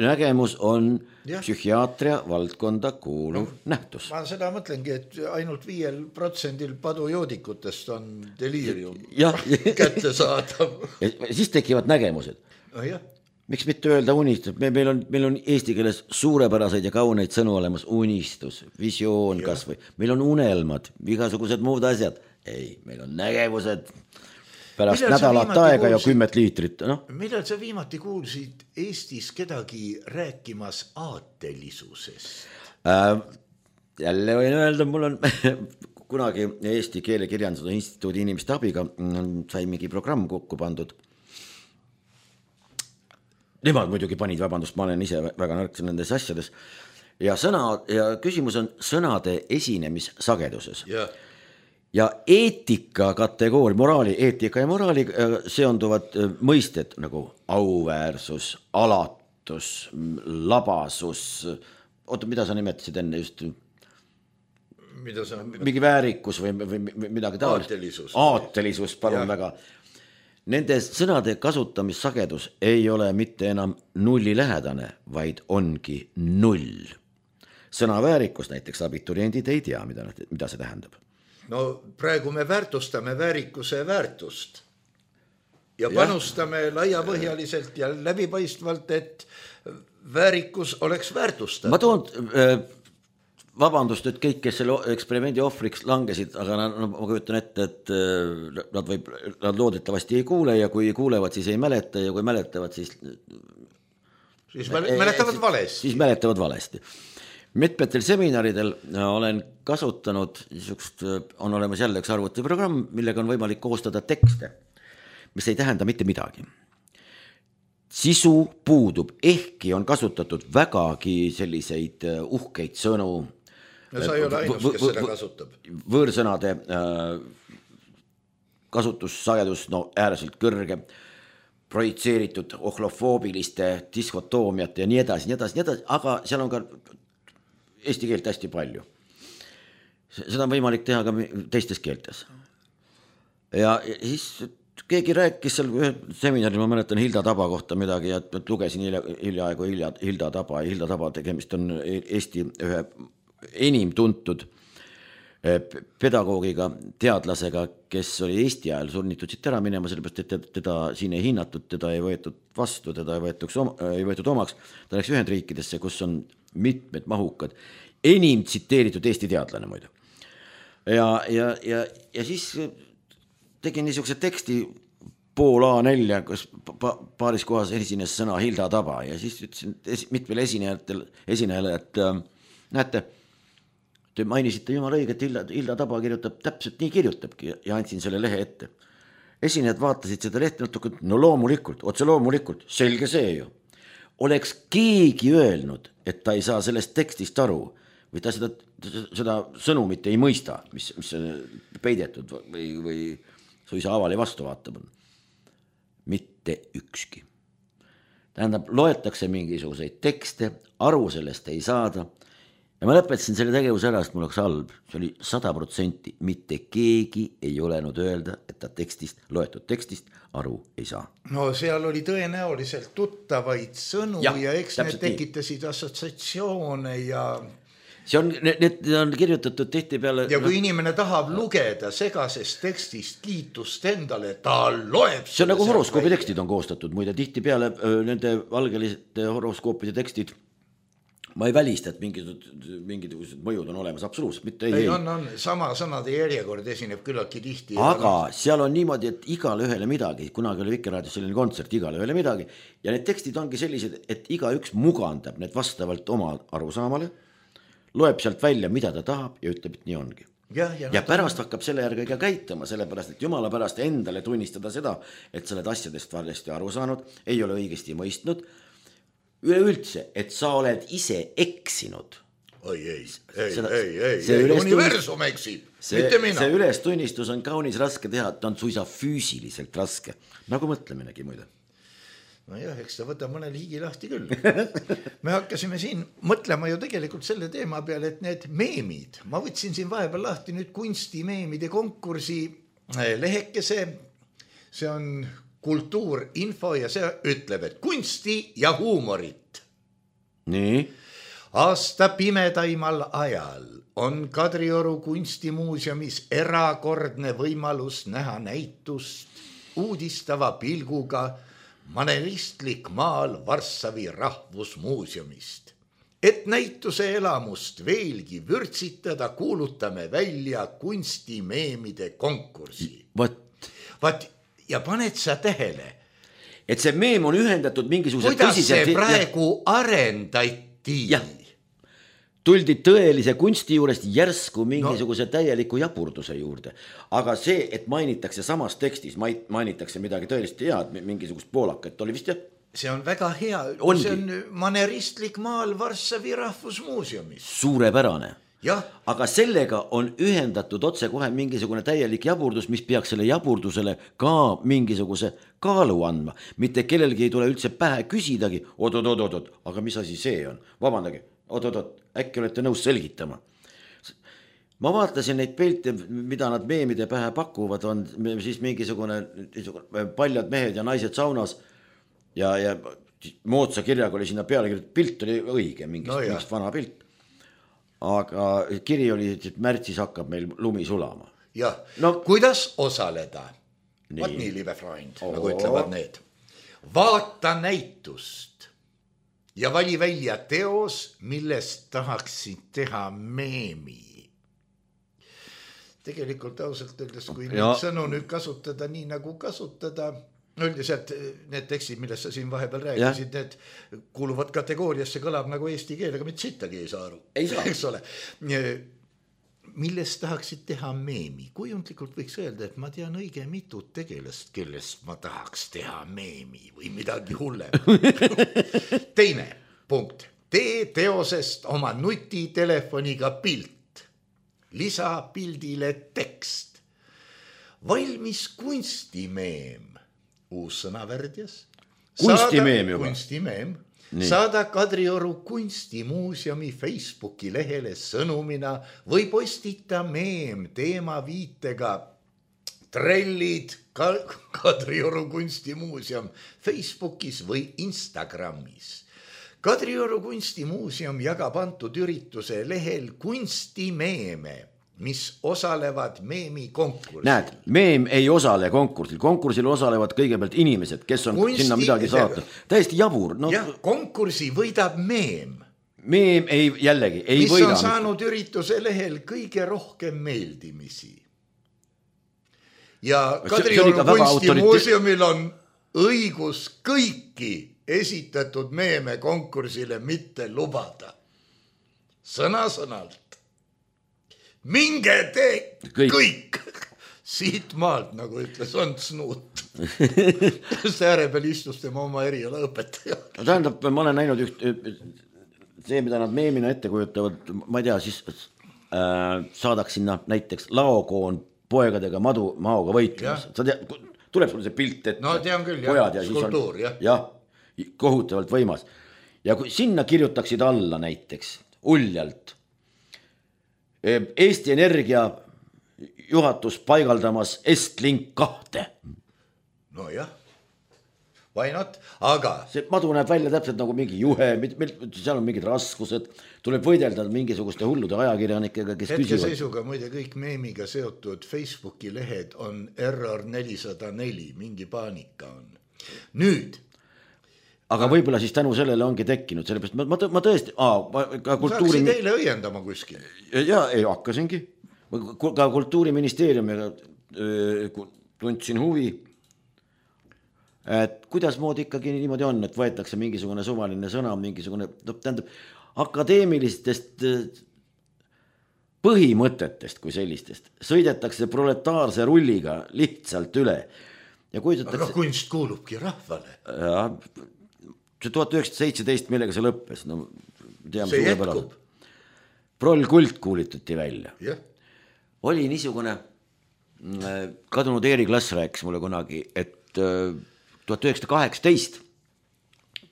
Nägemus on ja. Psühhiaatria valdkonda kuuluv no, nähtus. Ma seda mõtlengi, et ainult viiel protsendil padujoodikutest on deliirium ja. kätte saadav. Siis tekivad nägemused. No, jah. Miks mitte öelda unistus? Me, meil, on, meil on eesti keeles suurepäraseid ja kauneid sõnu olemas, unistus, visioon ja. Kas või. Meil on unelmad, igasugused muud asjad. Ei, meil on nägevused pärast millal nädalat aega kuulsid, ja kümmet liitrit. No? Millal sa viimati kuulsid Eestis kedagi rääkimas aatelisusest? Äh, jälle võin öelda, mul on kunagi Eesti Keelekirjanduse Instituudi inimeste abiga sai mingi programm kokku pandud. Nemad muidugi panid, vabandust, ma olen ise väga nõrk nendes asjades. Ja, sõna, ja küsimus on sõnade esinemisssageduses. Ja, ja eetika kategooria, moraali, eetika ja moraali seonduvad mõisted nagu auväärsus, alatus, labasus. Oota, mida sa nimetasid enne just? Mida sa... Mingi väärikus või, või midagi taolist. Aatelisus. Aatelisus, palun ja. Väga. Nende sõnade kasutamissagedus ei ole mitte enam nulli lähedane, vaid ongi null. Sõna väärikus näiteks abituriendid ei tea, mida, mida see tähendab. No praegu me väärtustame väärikuse väärtust ja panustame ja. Laiapõhjaliselt ja läbipaistvalt, et väärikus oleks väärtustatud. Ma toon... Äh, Vabandust, et kõik, kes selle eksperimendi ohvriks langesid, aga no, ma kujutan ette, et nad, võib, nad loodetavasti ei kuule ja kui kuulevad, siis ei mäleta ja kui mäletavad, siis... Siis mäletavad valesti. Siis mäletavad valesti. mitmetel seminaridel olen kasutanud niisugust, on olemas jälle üks arvutiprogramm, millega on võimalik koostada tekste, mis ei tähenda mitte midagi. Sisu puudub, ehkki on kasutatud vägagi selliseid uhkeid sõnu. No sa ei ole ainus, kes seda kasutab. Võõrsõnade kasutussagedus no, ääreselt kõrge, projitseeritud ohlofoobiliste diskotoomiat ja nii edasi, nii edasi, nii edasi, aga seal on ka eesti keelt hästi palju. Seda on võimalik teha ka teistes keeltes. Ja siis keegi rääkis seal ühe seminaril, ma mäletan Hilda Taba kohta midagi ja lugesin hiljaaegu Hilda Taba ja Hilda Taba tegemist on Eesti ühe enim tuntud pedagoogiga, teadlasega, kes oli Eesti ajal sunnitud siit ära minema, sellepärast, et teda siin ei hinnatud, teda ei võetud vastu, teda ei, oma, ei võetud omaks. Ta läks Ühendriikidesse, kus on mitmed mahukad, enim tsiteeritud Eesti teadlane muidu. Ja, ja, ja, ja siis tegin niisuguse teksti pool A nelja, kus paaris kohas esines sõna Hilda Taba ja siis ütlesin mitmel esinejatel, esinejale, et näete, te mainisite jumala õiget, Hilda, Hilda Taba kirjutab, täpselt nii kirjutabki ja andsin selle lehe ette. Esinejad vaatasid seda lehte, no loomulikult, otse loomulikult, selge see ju. Oleks keegi öelnud, et ta ei saa sellest tekstist aru või ta seda, seda sõnumit ei mõista, mis, mis on peidetud või, või suisa avali vastu vaatab. Mitte ükski. Tähendab, loetakse mingisuguseid tekste, aru sellest ei saada. Ja ma lõpetasin selle tegevuse ära, sest mul oleks halb. See oli sada protsenti. Mitte keegi ei olenud öelda, et ta tekstist, loetud tekstist aru ei saa. No seal oli tõenäoliselt tuttavaid sõnu ja, ja eks need tekitasid nii. Assotsiatsioone ja... See on, need on kirjutatud tihti peale... Ja kui no, inimene tahab lugeda segasest tekstist kiitust endale, ta loeb... See on nagu horoskoopi tekstid on koostatud, muide tihti peale nende valgeliste horoskoopide tekstid. Ma ei välista, et mingid, mingid mõjud on olemas, absoluutselt, mitte ei, ei. On, on, sama sõnade järjekord esineb küllaki tihti. Aga on... seal on niimoodi, et igale ühele midagi, kunagi oli Vikerraadios selline kontsert, igale ühele midagi, ja need tekstid ongi sellised, et iga üks mugandab need vastavalt oma arusaamale, loeb sealt välja, mida ta tahab ja ütleb, et nii ongi. Ja, ja, ja pärast on... hakkab selle järgi ka käitama, sellepärast, et jumala pärast endale tunnistada seda, et sa oled asjadest valesti aru saanud, ei ole õigesti mõistnud, üleüldse, et sa oled ise eksinud. Oi, ei, ei, Seda, ei, ei, ei, universum eksib, mitte mina. See ülestunnistus on kaunis raske teha, ta on suisa füüsiliselt raske, nagu mõtleminegi muide. No jah, eks ta võta mõnel higi lahti küll. Me hakkasime siin mõtlema ju tegelikult selle teema peale, et need meemid, ma võtsin siin vahepeal lahti nüüd kunstimeemide konkursi lehekese, see on kultuurinfo ja see ütleb, et kunsti ja huumorit. Nii? Aasta pimedaimal ajal on Kadrioru kunstimuuseumis erakordne võimalus näha näitust uudistava pilguga maneristlik maal Varssavi rahvusmuuseumist. Et näituse elamust veelgi vürtsitada, kuulutame välja kunstimeemide konkursi. Vat. Vat. Ja paned sa tähele, et see meem on ühendatud mingisuguse kuidas tõsiselt... see praegu ja... arendati. Jah. Tuldi tõelise kunsti juurest järsku mingisuguse no. täieliku japurduse juurde. Aga see, et mainitakse samas tekstis, mainitakse midagi tõeliselt head, mingisugust poolakat, oli vist jah? See on väga hea. Ongi. See on maneristlik maal Varssavi rahvusmuuseumis. Suurepärane. Ja. Aga sellega on ühendatud otse kohe mingisugune täielik jaburdus, mis peaks selle jaburdusele ka mingisuguse kaalu andma. Mitte kellelgi ei tule üldse pähe küsidagi, oot-oot-oot-oot, aga mis asi see on? Vabandage, oot-oot-oot, äkki olete nõus selgitama. Ma vaatasin neid pilte, mida nad meemide pähe pakuvad, on siis mingisugune paljad mehed ja naised saunas ja, ja moodsa kirjaga oli sinna peale, pilt oli õige, mingist, no mingist vana pilt. Aga kiri oli, et märtsis hakkab meil lumi sulama. Jah, no, kuidas osaleda? Nii. Vaat nii, liebe Freund, Oo. nagu ütlevad need. Vaata näitust ja vali välja teos, millest tahaksid teha meemi. Tegelikult ausalt öeldes, kui nüüd sõnu nüüd kasutada nii nagu kasutada, üldiselt need tekstid, millest sa siin vahepeal rääkisid, need kuuluvad kategooriasse, kõlab nagu eesti keel, aga mitte sittagi ei saa aru. Ei saa. Eks ole. Millest tahaksid teha meemi? Kujundlikult võiks öelda, et ma tean õige mitut tegelast, kellest ma tahaks teha meemi või midagi hullem. Teine punkt. Tee teosest oma nutitelefoniga pilt. Lisa pildile tekst. Valmis kunstimeem. Uus sõnavärdjas. Kunstimeem juba. Kunstimeem. Nii. Saada Kadrioru kunstimuuseumi Facebooki lehele sõnumina või postita meem teema viitega trellid Kadrioru kunstimuuseum Facebookis või Instagramis. Kadrioru kunstimuuseum jagab antud ürituse lehel kunstimeeme, mis osalevad meemi konkursil. Näed, meem ei osale konkursil. Konkursil osalevad kõigepealt inimesed, kes on Kunsti... sinna midagi saatnud. Täiesti jabur. No... Ja, konkursi võidab meem. Meem ei, jällegi, ei mis võida. Mis on saanud ürituse lehel kõige rohkem meeldimisi. Ja Kadrioru kunstimuuseumil on õigus kõiki esitatud meeme konkursile mitte lubada. Sõna-sõnalt. Minge tee kõik, kõik. Siit maalt, nagu ütles Ants Nuut. See ääre peal istus tema oma eriala õpetaja. No, tähendab, ma olen näinud üht, see, mida nad meemina ette kujutavad, ma ei tea, siis äh, saadaks sinna näiteks laokoon poegadega madu maoga võitlemas. Sa tea, tuleb sulle see pilt ette. No tean küll, jah, ja skulptuur, jah. Jah, kohutavalt võimas. Ja kui sinna kirjutaksid alla näiteks uljalt Eesti Energia juhatus paigaldamas Estlink kahte. No jah, why not, aga... See madu näeb välja täpselt nagu mingi juhe, seal on mingid raskused, tuleb võidelda mingisuguste hullude ajakirjanikega, kes hetke küsivad. Seisuga muide kõik meemiga seotud Facebooki lehed on error nelisada neli, mingi paanika on. Nüüd... Aga võib-olla siis tänu sellele ongi tekkinud, sellepärast ma, ma, ma tõesti... Aa, ka kultuuri... Saaksid eile õiendama kuskil. Ja ei hakkasingi. Ka kultuuriministeeriumiga tundsin huvi, et kuidas moodi ikkagi niimoodi on, et võetakse mingisugune suvaline sõna, mingisugune, tähendab, akadeemilistest põhimõtetest kui sellistest sõidetakse proletaarse rulliga lihtsalt üle. Ja kujutatakse... Aga kunst kuulubki rahvale. Ja... see tuhat üheksasada seitseteist, millega see lõppes, no teame see jätkub. Proll kult kuulitati välja. Yeah. Oli niisugune, kadunud Eeri Klass rääkis mulle kunagi, et tuhat üheksasada kaheksateist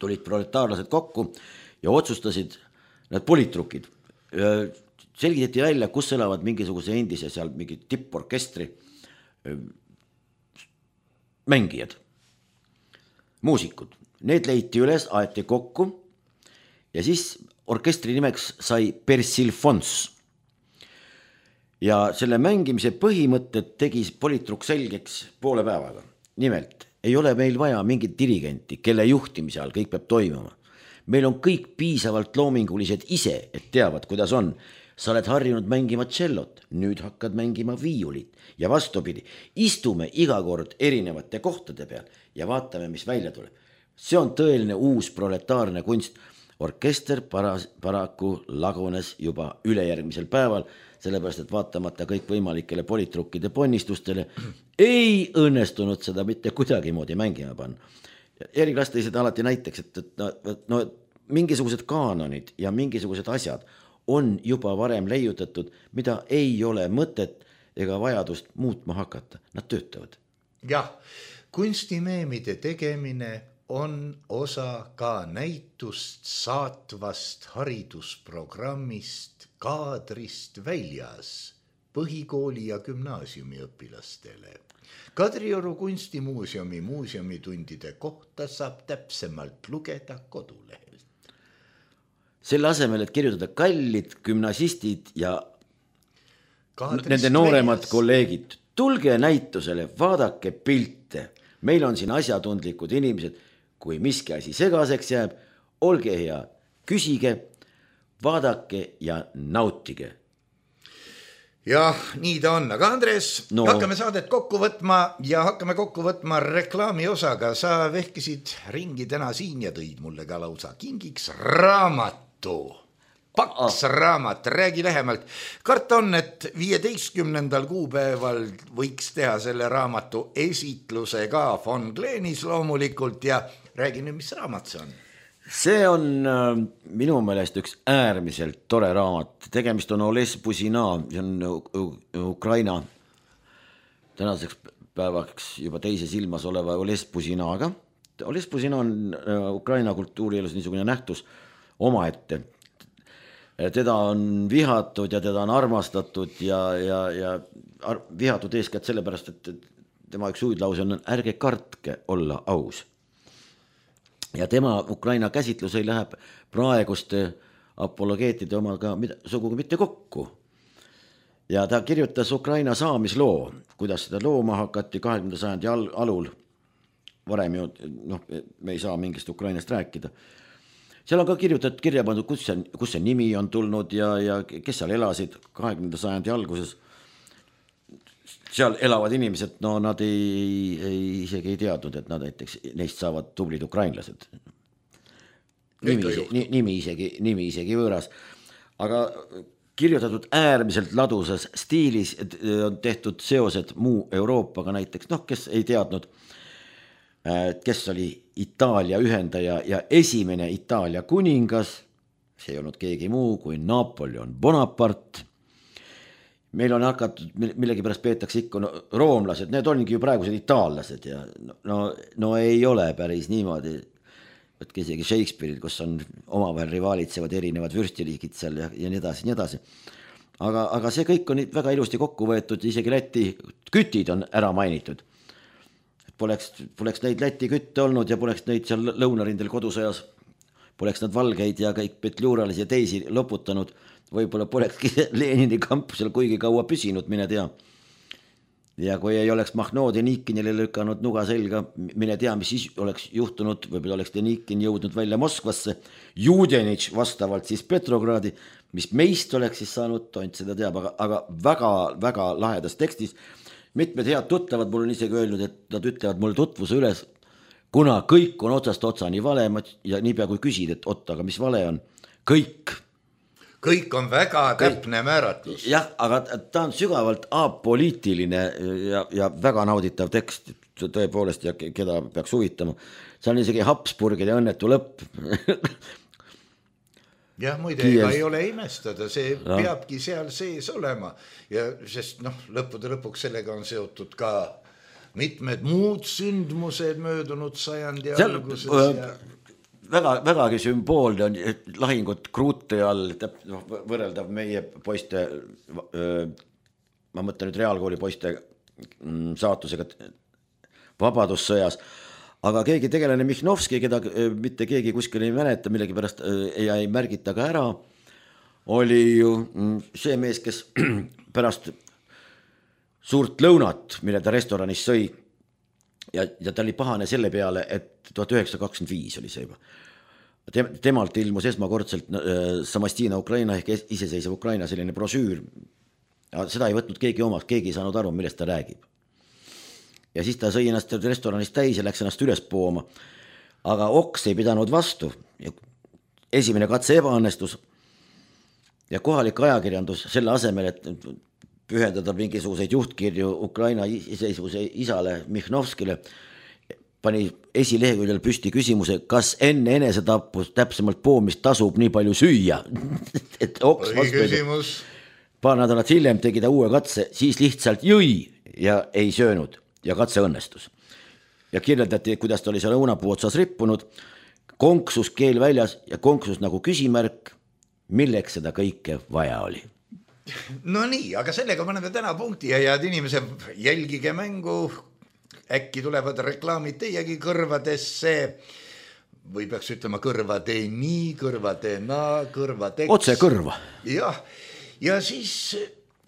tulid proletaarlased kokku ja otsustasid need politrukid. Selgitati välja, kus elavad mingisuguse endise seal mingi tipporkestri mängijad, muusikud. Need leiti üles, aeti kokku ja siis orkestri nimeks sai Persilfons. Ja selle mängimise põhimõtted tegi politruk selgeks poole päevaga. Nimelt, ei ole meil vaja mingit dirigenti, kelle juhtimise all kõik peab toimuma. Meil on kõik piisavalt loomingulised ise, et teavad, kuidas on. Sa oled harjunud mängima tšellot, nüüd hakkad mängima viiulit ja vastupidi, istume iga kord erinevate kohtade peal ja vaatame, mis välja tuleb. See on tõeline uus proletaarne kunst. Orkester paras, paraku lagunes juba ülejärgmisel päeval, sellepärast, et vaatamata kõik võimalikele politrukkide ponnistustele ei õnnestunud seda mitte kuidagi moodi mängima panna. Eeri Klass tõi seda alati näiteks, et, et no, no, mingisugused kaanonid ja mingisugused asjad on juba varem leiutatud, mida ei ole mõtet ega vajadust muutma hakata. Nad töötavad. Jah, kunstimeemide tegemine on osa ka näitust saatvast haridusprogrammist kaadrist väljas põhikooli ja gümnaasiumi õpilastele. Kadrioru kunstimuuseumi muuseumitundide kohta saab täpsemalt lugeda kodulehelt. Selle asemel, et kirjutada kallid gümnasistid ja kaadrist nende nooremad väljas kolleegid, tulge näitusele, vaadake pilte. Meil on siin asjatundlikud inimesed. Kui miski asi segaseks jääb, olge hea, küsige, vaadake ja nautige. jah, nii ta on, aga Andres no. hakkame saadet kokku võtma ja hakkame kokku võtma reklaami osaga. Sa vehkisid ringi täna siin ja tõid mulle ka lausa kingiks raamatu. Paks ah. raamat, räägi lähemalt. Karta on, et viieteistkümnendal kuupäeval võiks teha selle raamatu esitluse ka Von Gleenis loomulikult ja räägi nüüd, mis raamat see on? See on äh, minu meelest üks äärmiselt tore raamat. Tegemist on Oles Buzina, see on Ukraina tänaseks päevaks juba teises ilmas oleva Oles Buzinaga. Oles Buzina on äh, Ukraina kultuurielus niisugune nähtus omaette. Teda on vihatud ja teda on armastatud ja, ja, ja ar- vihatud eeskätt sellepärast, et tema üks hüüdlause on ärge kartke olla aus. Ja tema Ukraina käsitlus ei läheb praeguste apologeetide omaga sugugi mitte kokku. Ja ta kirjutas Ukraina saamisloo, kuidas seda looma hakati kahekümnenda sajandi al- alul. Varem ju, noh, me ei saa mingist Ukrainast rääkida. Seal on ka kirjutatud kirja pandud, kus see, kus see nimi on tulnud ja, ja kes seal elasid kahekümnenda sajandi alguses. Seal elavad inimesed, no nad ei, ei isegi ei teadnud, et nad näiteks neist saavad tublid ukrainlased. Nimi, ise, nimi, isegi, nimi isegi võõras. Aga kirjutatud äärmiselt ladusas stiilis on tehtud seosed muu Euroopaga näiteks, noh, kes ei teadnud, kes oli Itaalia ühendaja ja esimene Itaalia kuningas, see ei olnud keegi muu kui Napoleon Bonaparte. Meil on hakatud, millegi pärast peetakse ikka no, roomlased, need ongi ju praegused itaallased ja no, no ei ole päris niimoodi, et isegi Shakespeare'il, kus on omavahel rivaalitsevad erinevad vürstiliigid seal ja, ja nii edasi, nii edasi. Aga, aga see kõik on väga ilusti kokku võetud, isegi Läti kütid on ära mainitud. Poleks, poleks neid Läti kütte olnud ja poleks neid seal lõunarindel kodusõjas, poleks nad valgeid ja kõik petluuralisi ja teisi loputanud, võib-olla polekski Lenini kamp seal kuigi kaua püsinud, mine tea. Ja kui ei oleks Mahnood ja Nikinile lükanud nuga selga, mine tea, mis siis oleks juhtunud, võib-olla oleks Denikin jõudnud välja Moskvasse, Judenitš vastavalt siis Petrogradi, mis meist oleks siis saanud, tont seda teab, aga, aga väga, väga lahedas tekstis. Mitmed head tuttavad mul on isegi öelnud, et nad ütlevad mulle tutvuse üles, kuna kõik on otsast otsani vale ja niipea kui küsid, et otta, aga mis vale on, kõik Kõik on väga täpne määratlus. Jah, aga ta on sügavalt apoliitiline ja, ja väga nauditav tekst, tõepoolest, ja keda peaks huvitama. See on isegi Habsburgide õnnetu lõpp. jah, muide, ega ei ole imestada, see ja. peabki seal sees olema. Ja sest noh, lõppude lõpuks sellega on seotud ka mitmed muud sündmused möödunud sajandi seal, alguses ja... Väga, vägagi sümboolne on lahingud Kruute all, võrreldav meie poiste, ma mõtlen nüüd reaalkooli poiste saatusega Vabadussõjas, aga keegi tegelane Mihnovski, keda mitte keegi kuskil ei mäleta, millegi pärast ei, ei märgita ka ära, oli ju see mees, kes pärast suurt lõunat, mille ta restoranis sõi, ja, ja ta oli pahane selle peale, et tuhat üheksasada kakskümmend viis oli see juba. Temalt ilmus esmakordselt Samastina Ukraina ehk iseseisev Ukraina selline brosüür. Ja seda ei võtnud keegi omaks, keegi ei saanud aru, millest ta räägib. Ja siis ta sõi ennast restoranis täis ja läks ennast üles pooma. Aga oks ei pidanud vastu. Esimene katse ebaõnnestus ja kohalik ajakirjandus selle asemel, et pühendada mingisuguseid juhtkirju Ukraina iseseisvuse isale Mihnovskile, pani esileheküljel püsti küsimuse, kas enne enesetapust täpsemalt poomist tasub nii palju süüa. et oks küsimus. Paar nädalat hiljem tegi ta uue katse, siis lihtsalt jõi ja ei söönud ja katse õnnestus. Ja kirjeldati, kuidas ta oli seal õunapuu otsas rippunud, konksus keel väljas ja konksus nagu küsimärk, milleks seda kõike vaja oli. No nii, aga sellega paneme täna punkti ja head inimesed, jälgige mängu, äkki tulevad reklaamid teiegi kõrvadesse või peaks ütlema kõrvade nii, kõrvade naa, kõrvadeks. Otse kõrva. Jah, ja siis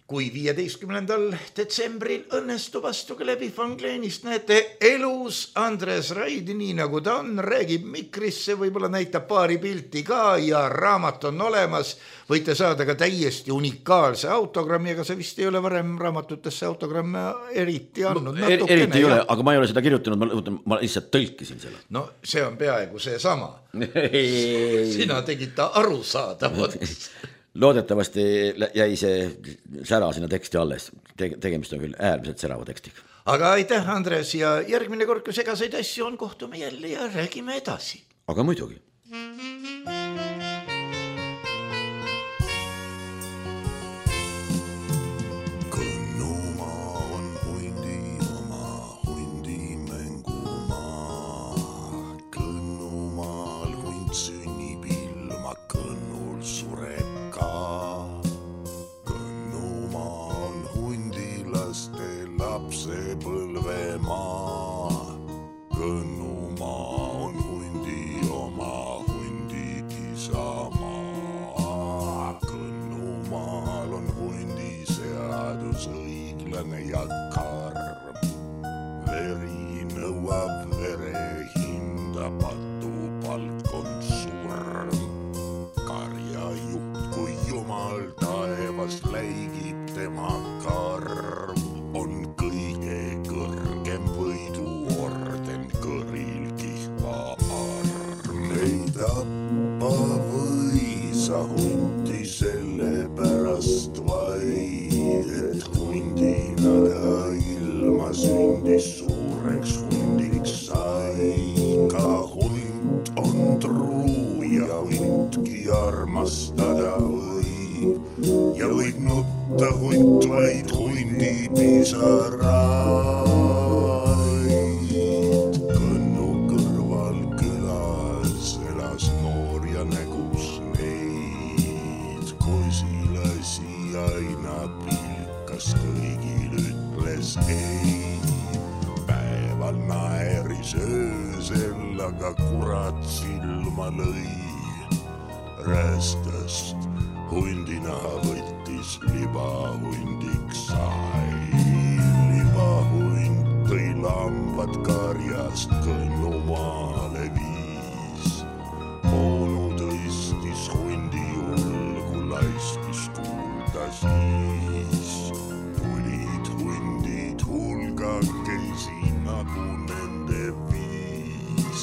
kui viieteistkümnendal detsembril õnnestub astuge läbi Fangleenist, näete elus Andres Raid, nii nagu ta on, räägib mikrisse, võib-olla näitab paari pilti ka ja raamat on olemas. Võite saada ka täiesti unikaalse autogrammi, aga see vist ei ole varem raamatutesse autogramme eriti andnud. No, er, eriti ei ole, aga ma ei ole seda kirjutanud, ma, ma lihtsalt tõlkisin selle. No see on peaaegu see sama. Sina tegid ta arusaadavaks. Loodetavasti jäi see sära sinna teksti alles. Tegemist on küll äärmiselt särava tekstiga. Aga aitäh, Andres, ja järgmine kord, kui segaseid asju on, kohtume jälle ja räägime edasi. Aga muidugi. Kõnnumaa on hundi oma, hundi mängumaa. Kõnnumaal hund sünnib ilma, kõnnul sureb ka. Kõnnumaa on hundilaste lapsepõlvemaa. Kõnnumaa on hundi oma, hundid isamaa. Kõnnumaal on hundi seadus õiglane ja karm. Veri nõuab vere hinda, patupalk on surm. Karjajuht, kui jumal taevas läigib tema karm, on kõige kõrgem võiduorden kõril kihva arm. Ei tappa või sa hundi sellepärast vaid, et hundina ta ilma sündis suureks hundiks sai. Ka hund on truu ja hundki armastada võib ja võib nutta hund vaid hundi pisaraid. Kõnnu kõrval külas elas noor ja nägus neid. Kosilasi aina pilkas, kõigil ütles ei. Päeval naeris öösel, aga kurat silma lõi. Rästast hundinaha võttis, libahundiks sai. Libahund tõi lambad karjast Kõnnumaale viis. Onu tõstis hundi julgu, laiskis kuulda siis. Tulid hundid hulgakesi nagu nende viis.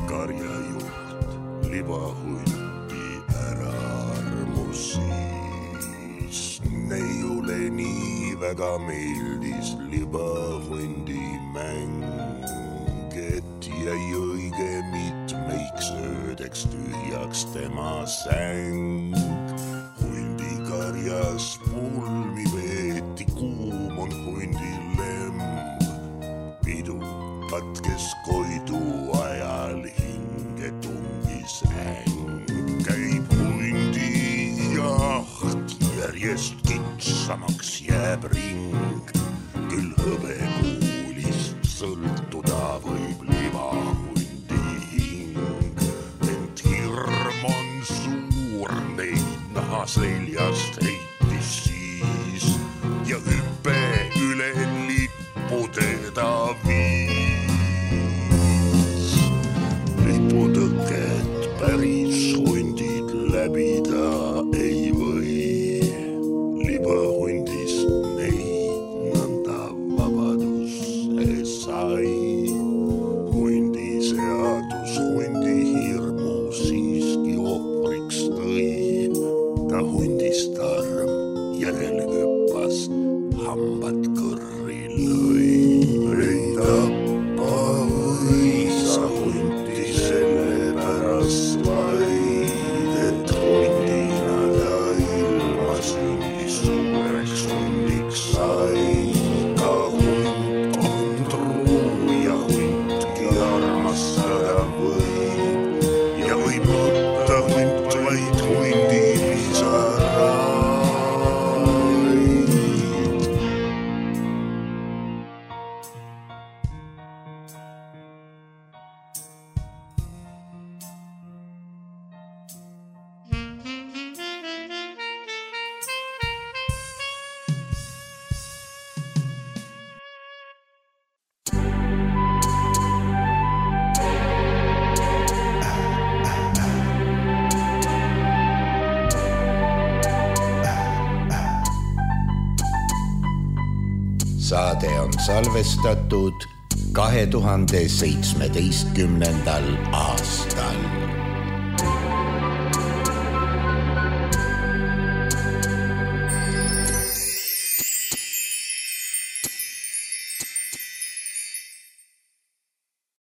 Karjajuht libahundi ära armusis. Neiule nii väga meeldis libahundi mäng, et jäi õige mitmeiks öödeks tühjaks tema säng. Hundi karjas pulmi veeti, kuum on hundi lemb. Pidu katkes koidu ajal, hinge tungis äng. Käib hundi jaht, järjest kitsamaks jääb ring. Küll hõbekuulist sõltuda võib libahundi hing. Ent hirm on suur, neid naha seljast heitis siis ja hüppe üle lippu teda viis. Liputõket päris hundid läbida ei või. Libahundist neid nõnda vabaduse sai. Hundi seadus hundi hirmu siiski ohvriks tõi. Ta hundist arm järel hüppas, hambad kõrri lõi. Ei tappa või sa hundi sellepärast vaid, et hundina saade on salvestatud kahe tuhande seitsmeteistkümnendal aastal.